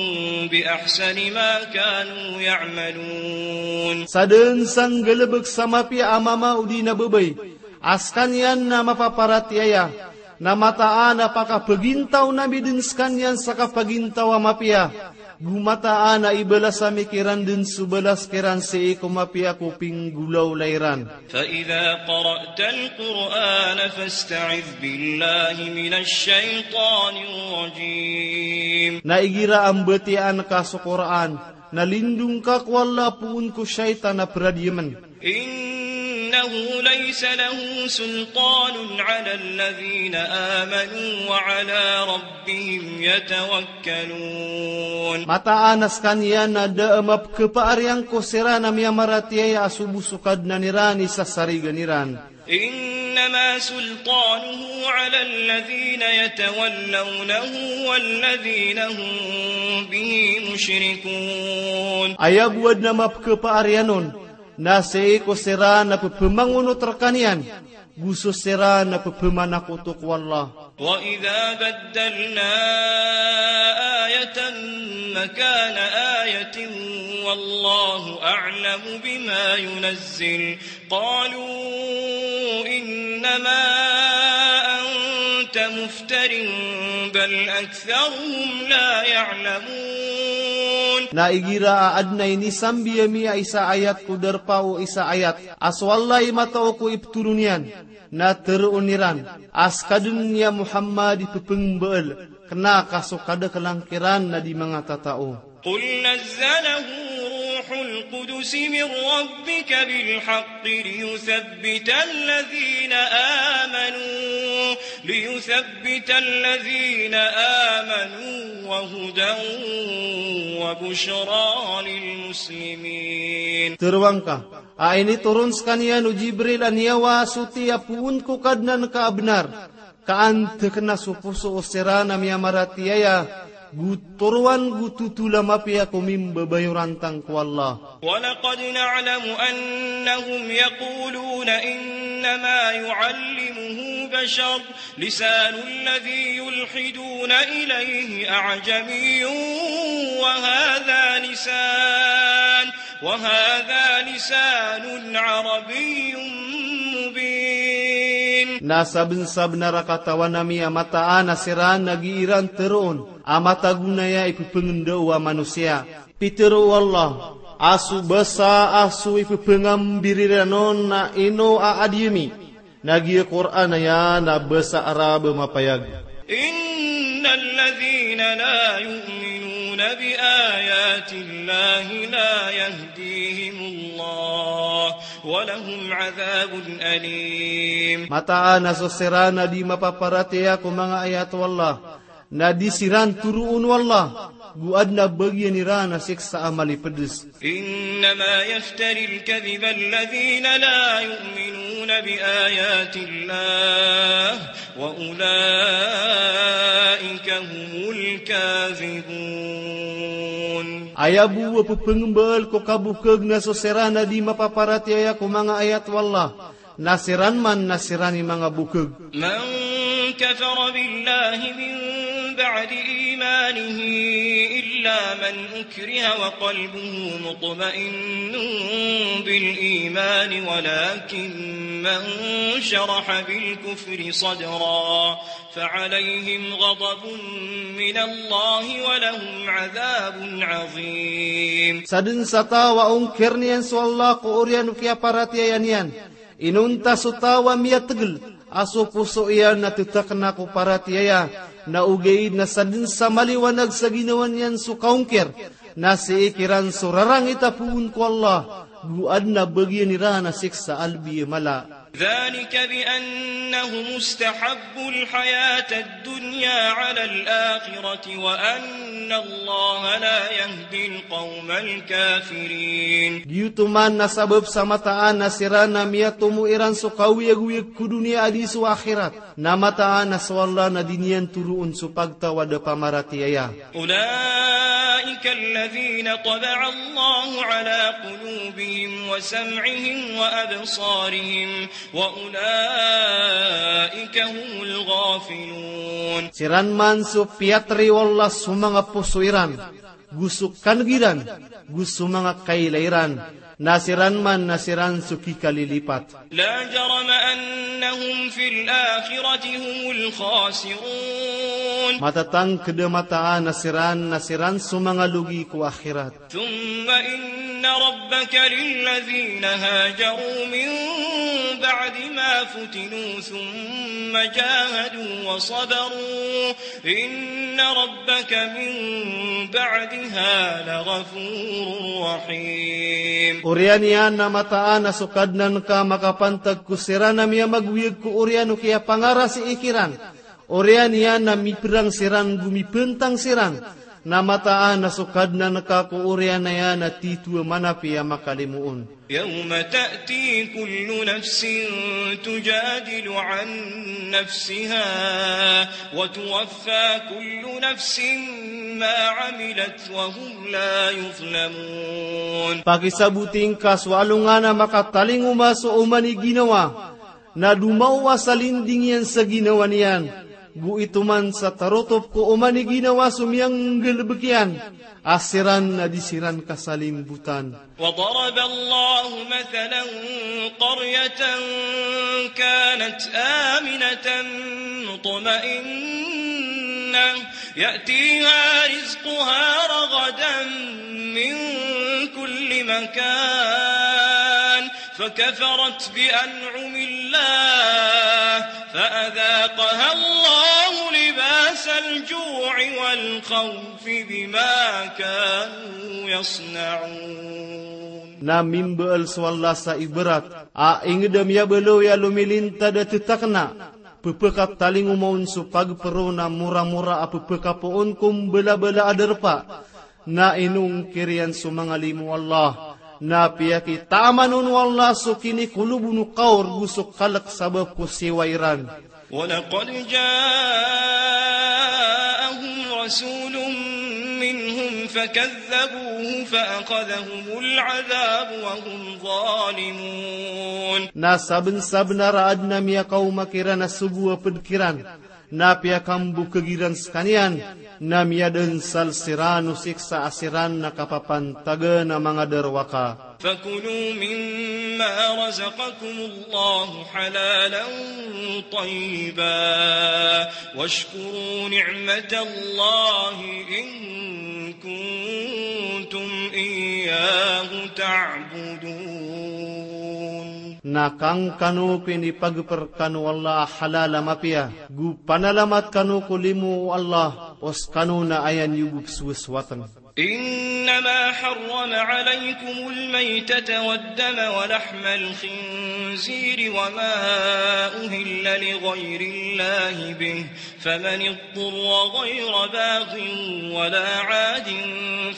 بأحسن ما كانوا يعملون. Sadn sa nggalbk sa mapiya a mama odi na babay a skaniyan na mapaparatiyaya, na mataan a pakapagintaw ami dn skaniyan sa kapagintaw a mapiya, go mataan a ibalas ami kiran dn so balas kiran sii ko mapiya ko pinggolawla iran. فإذا قرأت القرآن فاستعذ بالله من الشيطان الرجيم. Na igira a mbatiyaan ka so Qur'an, na lindong ka ko Allah poon ko shaytan a pradiyamen. إنه ليس له سلطان على الذين آمنوا وعلى ربهم يتوكلون. Mataan a skaniyan na da a mapkhapaariyan ko siran a miyamaratiyaya a so bo so Kadnan iran i sasarigan iran. إنما سلطانه على الذين يتولونه والذين هم به مشركون. Aya bo a adn a mapkhapaariyan on na sii ko siran a pphamangonot rkaniyan, go so siran a pphamakoto ko Allah. وإذا بدلنا آية مكان آية والله أعلم بما ينزل قالوا إنما أنت مفتر بل أكثرهم لا يعلمون. Na igira a adn a inisambi ami a isa a ayat ko darpa o isa a ayat a so Allah i matao ko iptoron iyan, na tharoon iran a ska dn ya Muhammad i pphangambaal, kna ka so kadaklan kiran na di manga tatao. قل نزله روح القدس من ربك بالحق ليثبت الذين آمنوا، ليثبت الذين آمنوا وهدى وبشرى للمسلمين. Tharoang ka a initoron skaniyan o Jibril a niyawa a soti a poon ko Kadnan ka a bnar, ka antakna so poso o siran a miyamaratiyaya, go toroan go totol a mapiya ko mimbabayorantang ko Allah. ولقد نعلم أنهم يقولون إنما يعلمه بشر، لسان الذي يلحدون إليه أعجمي وهذا لسان وهذا لسان عربي مبين. Na sabnsabnar a katawan ami a mataan a siran a gii ran tharoon a matago na aya i pphangendao a manosiya. Pitharo o Allah a so basa a so i pphangambirira on na ino a adiyami. Na giya Qur'an aya na basa Arab a mapayag. إن الذين لا يؤمنون بآيات الله لا يهديهم الله ولهم عذاب أليم. Mataan a so siran a di mapaparatiyaya ko manga ayat o Allah, na di siran toroon o Allah, go adn a bagian iran a siksa a malipds. إنما يفتري الكذب الذين لا يؤمنون بآيات الله وأولئك هم الكاذبون. Aya bo a pphangmbaal ko kabokhag na so siran a di mapaparatiyaya ko manga ayat o Allah, na siran man na siran i manga bokhag. من كفر بالله من بعد إيمانه إلا من أكره وقلبه مطمئن بالإيمان ولكن من شرح بالكفر صدرا فعليهم غضب من الله ولهم عذاب عظيم. Sadn sa taw a ongkirn iyan so Allah ko oriyan o kiyaparatiyaya niyan, inonta so taw a miyatgl a so poso iyan na ttakna ko paratiyaya, na ogaid na sadn sa maliwanag sa ginawa niyan so kaongkir, na sii kiran so rarangit a poon ko Allah, go adn a bagian iran a siksa a lbi a mala. ذلك بأنهم استحبوا الحياة الدنيا على الآخرة وأن إن الله لا يهدي القوم الكافرين. Giyoto man na sabap sa mataan a siran na miyatomo iran so kaoyagoyag ko doniya a di so akhirat. Na mataan a so Allah na di niyan toroon so pagtaw a da pamaratiyaya. أولئك الذين طبع الله على قلوبهم وسمعهم وأبصارهم وأولئك هم الغافلون. Siran man so piyatri o Allah so manga poso iran, go so kaneg iran, go so manga kailay iran, na siran man na siran so kikalilipat. لا جرم أنهم في الآخرة هم الخاسرون. Matatangked a mataan a siran na siran so manga logi ko akhirat. ثم إن ربك للذين هاجروا من بعد ما فتنوا ثم جاهدوا وصبروا إن ربك من بعدها لغفور رحيم. Oriyan iyan na mataan a so Kadnan ka makapantag ko siran a miyamagoyag ko oriyan o kiyapangarasii kiran. Oriyan iyan na miperang siran go mipentang siran, na mataan a so Kadnan ka ko oriyan iyan na tito a manapi a makalimoon. يوم تأتي كل نفس تجادل عن نفسها وتوفى كل نفس ما عملت وهم لا يظلمون. Pakisaboting ka so alongan a makatalingoma so oman i ginawa, na domaowa sa linding iyan sa ginawa niyan, go itoman sa tarotop ko oman i ginawa so miyanggalebek iyan, a siran na di siran kasalimbotan. وضرب الله مثلا قرية كانت آمنة مطمئنة يأتيها رزقها رغدا من كل مكان فكفرت بأنعم الله فأذاقها الله لباس الجوع والخوف بما كانوا يصنعون. Na mimbaal so Allah sa ibarat a inged a miyabaloy a lomilintad a tetakna, pepekatalingoma on so pagpero na moramora a pepekapoon ko mbalabala a darpa. Na inongkir iyan so manga limo o Allah, na piyakitaaman on o Allah so kinikolob on o kaor go so kalek sabap ko siwa iran. ولقد جاءهم رسول منهم فكذبوه فأخذهم العذاب وهم ظالمون. Na sabensabenar a aden a miyakaoma kiran a sogo a ped kiran, na piyakambokeg iran sekaniyan, na miyadansal siran o siksa a siran na kapapantagan a manga darowaka. فكلوا مما رزقكم الله حلالا طيبا واشكروا نعمة الله إن كنتم إياه تعبدون. Na kangkano ko inipageper kano o Allah a halal a mapiya, go panalamat kano ko limo o Allah, o sekano na aya niyo bo pesowasowatn. إنما حرم عليكم الميتة والدم ولحم الخنزير وما أهل لغير الله به فمن اضطر غير باغ ولا عاد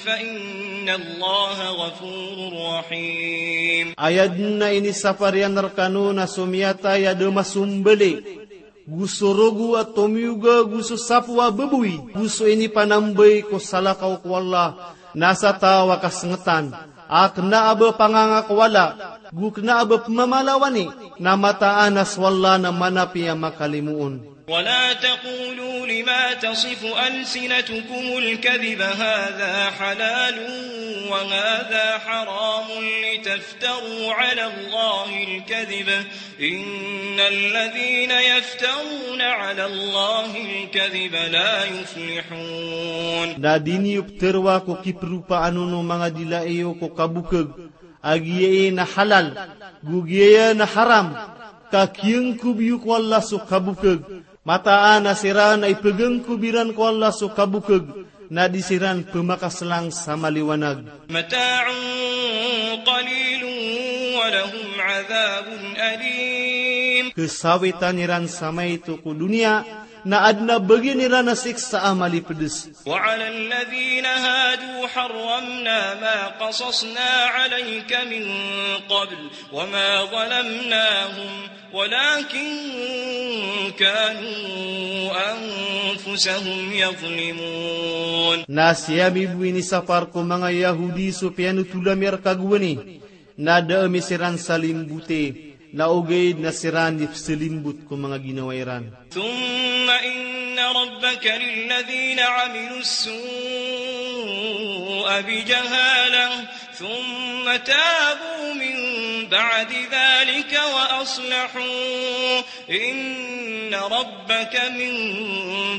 فإن الله غفور رحيم. Aya den a inisapar iyan rekano na so miyatay a da masombali, go so rogo a tomiyoga, go so sapo a baboy, go so inipanambay ko salakaw ko Allah, na sa taw a kasengetan a kena a ba pangangakowala, go kena a ba pemamalawani, na mataan a so Allah na manapi a makalimoon. ولا تقولوا لما تصف ألسنتكم الكذب هذا حلال وهذا حرام لتفتروا على الله الكذب إن الذين يفترون على الله الكذب لا يفلحون. Na di niyo peteroa ko kiperopaan on o manga dila iyo ko kabokeg, a giyai na halal, go giyaya na haram, ka kiyangkob iyo ko Allah so kabokeg. Mataan a siran a ipegangkob iran ko Allah so kabokeg, na di siran pemakaselang sa maliwanag. متاع قليل ولهم عذاب أليم. Kesawitan iran sa maito ko doniya, Na adn a bagian iran a siksa a malipds. وعلى الذين هادوا حرمنا ما قصصنا عليك من قبل وما ظلمناهم ولكن كانوا أنفسهم يظلمون. Na sii ami bo inisapar ko manga Yahudi so piyanothol ami a rk a gowani, na da ami siran salimbote, na ogaid na siran i psalimbot ko manga ginawa iran. ثم إن ربك للذين عملوا السوء بجهالة ثم تابوا من بعد ذلك وأصلحوا إن ربك من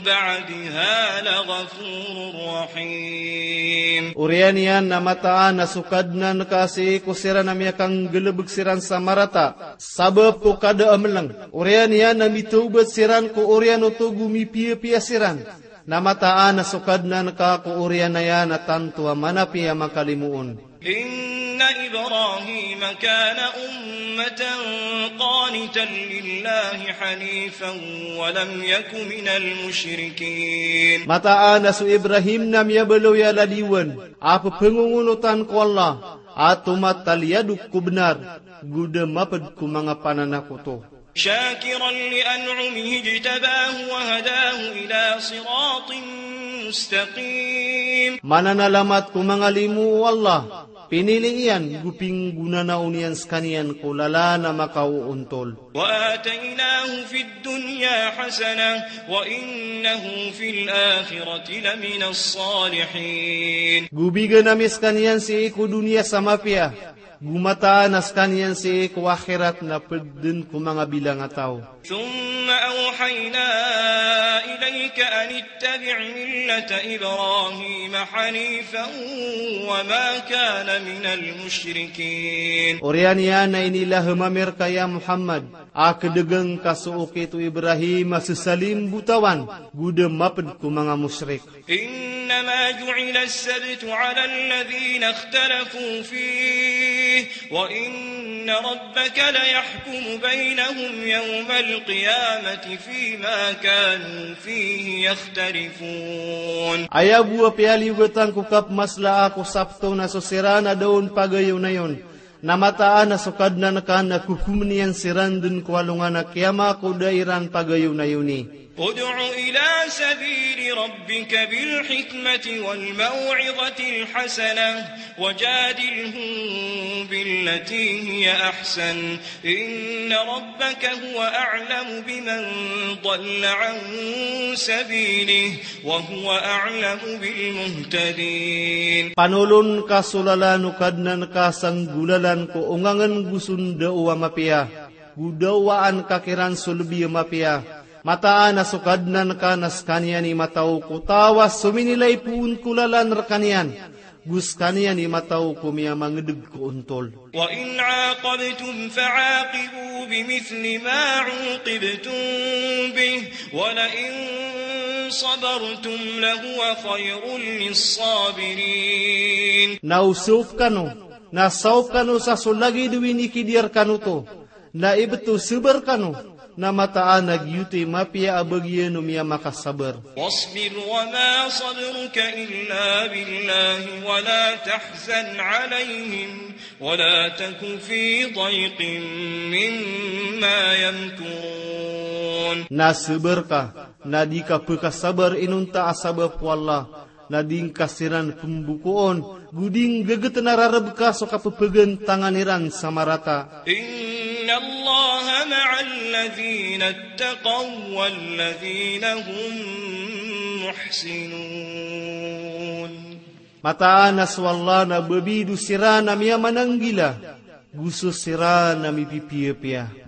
بعدها لغفور رحيم. Oriyan iyan na mataan a so Kadnan ka sii ko siran a miyakanggalbk siran sa marata sabap ko kada a mlng. Oriyan iyan na mitawbat siran ko oriyan oto go mipiyapiya siran. Na mataan a so Kadnan ka ko oriyan iyan na tanto a manapiya a makalimoon. إن إبراهيم كان أمة قانتا لله حنيفا ولم يك من المشركين. Mataan a so Ibrahim na miyabaloy a lalayon a pphangongonotan ko Allah a tomataliyadok ko bnar, go da mapd ko manga pananakoto. شاكرا لأنعمه اجتباه وهداه إلى صراط مستقيم. Mananalamat ko manga limo o Allah, pinili iyan, go pinggonanaon iyan skaniyan ko lalan a makaoontol. وآتيناه في الدنيا حسنة وإنه في الآخرة لمن الصالحين. Go bigan ami skaniyan sii ko doniya sa mapiya, go mataan a skaniyan sii ko akhirat na pd dn ko manga bilang a taw. ثم أوحينا إليك أن اتبع ملة إبراهيم حنيفا وما كان من المشركين. Oriyan iyan na inilahm ami rka ya Muhammad a kdgn ka so okit o Ibrahim a sasalimbotawan, go da mapd ko manga mushrik. إنما جعل السبت على الذين اختلفوا فيه وإن ربك ليحكم بينهم يوم القيامة فيما كانوا فيه يختلفون. Aya bo a piyaliyogatan ko kapmaslaa ko Sabto na so siran a da on pagayonayon. Na mataan a so Kadnan ka na kokomn iyan siran dn ko alongan a kiyama ko da iran pagayonayoni. ادع إلى سبيل ربك بالحكمة والموعظة الحسنة وجادلهم بالتي هي أحسن إن ربك هو أعلم بمن ضل عن سبيله وهو أعلم بالمهتدين. Panolon ka so lalan o Kadnan ka sa nggolalan ko ongangn go so ndaw a mapiya, go dawaan ka kiran so lbi a mapiya. Mataan a so Kadnan ka na skaniyan i mataw ko taw a sominilay poon ko lalan rkaniyan, go skaniyan i mataw ko miyamangdg ko ontol. وإن عاقبتم فعاقبوا بمثل ما عوقبتم به ولئن صبرتم لهو خير للصابرين. Na o saop kano, na saop kano sa so lagid o inikidiya rkano oto, na ibt o sabar kano, na mataan a giyoto i mapiya a bagian o miyamakasabr. واصبر وما صبرك إلا بالله ولا تحزن عليهم ولا تك في ضيق مما يمكرون. Na sabar ka, na di ka pkasabr inonta a sabap ko Allah, na di ngka siran pmbokoon, go di ngggt na rarb ka so kapphagantangan iran sa marata. إن الله مع الذين اتقوا والذين هم محسنون. Mataan a so Allah na babid o siran a miyamananggila, go so siran a mipipiyapiya.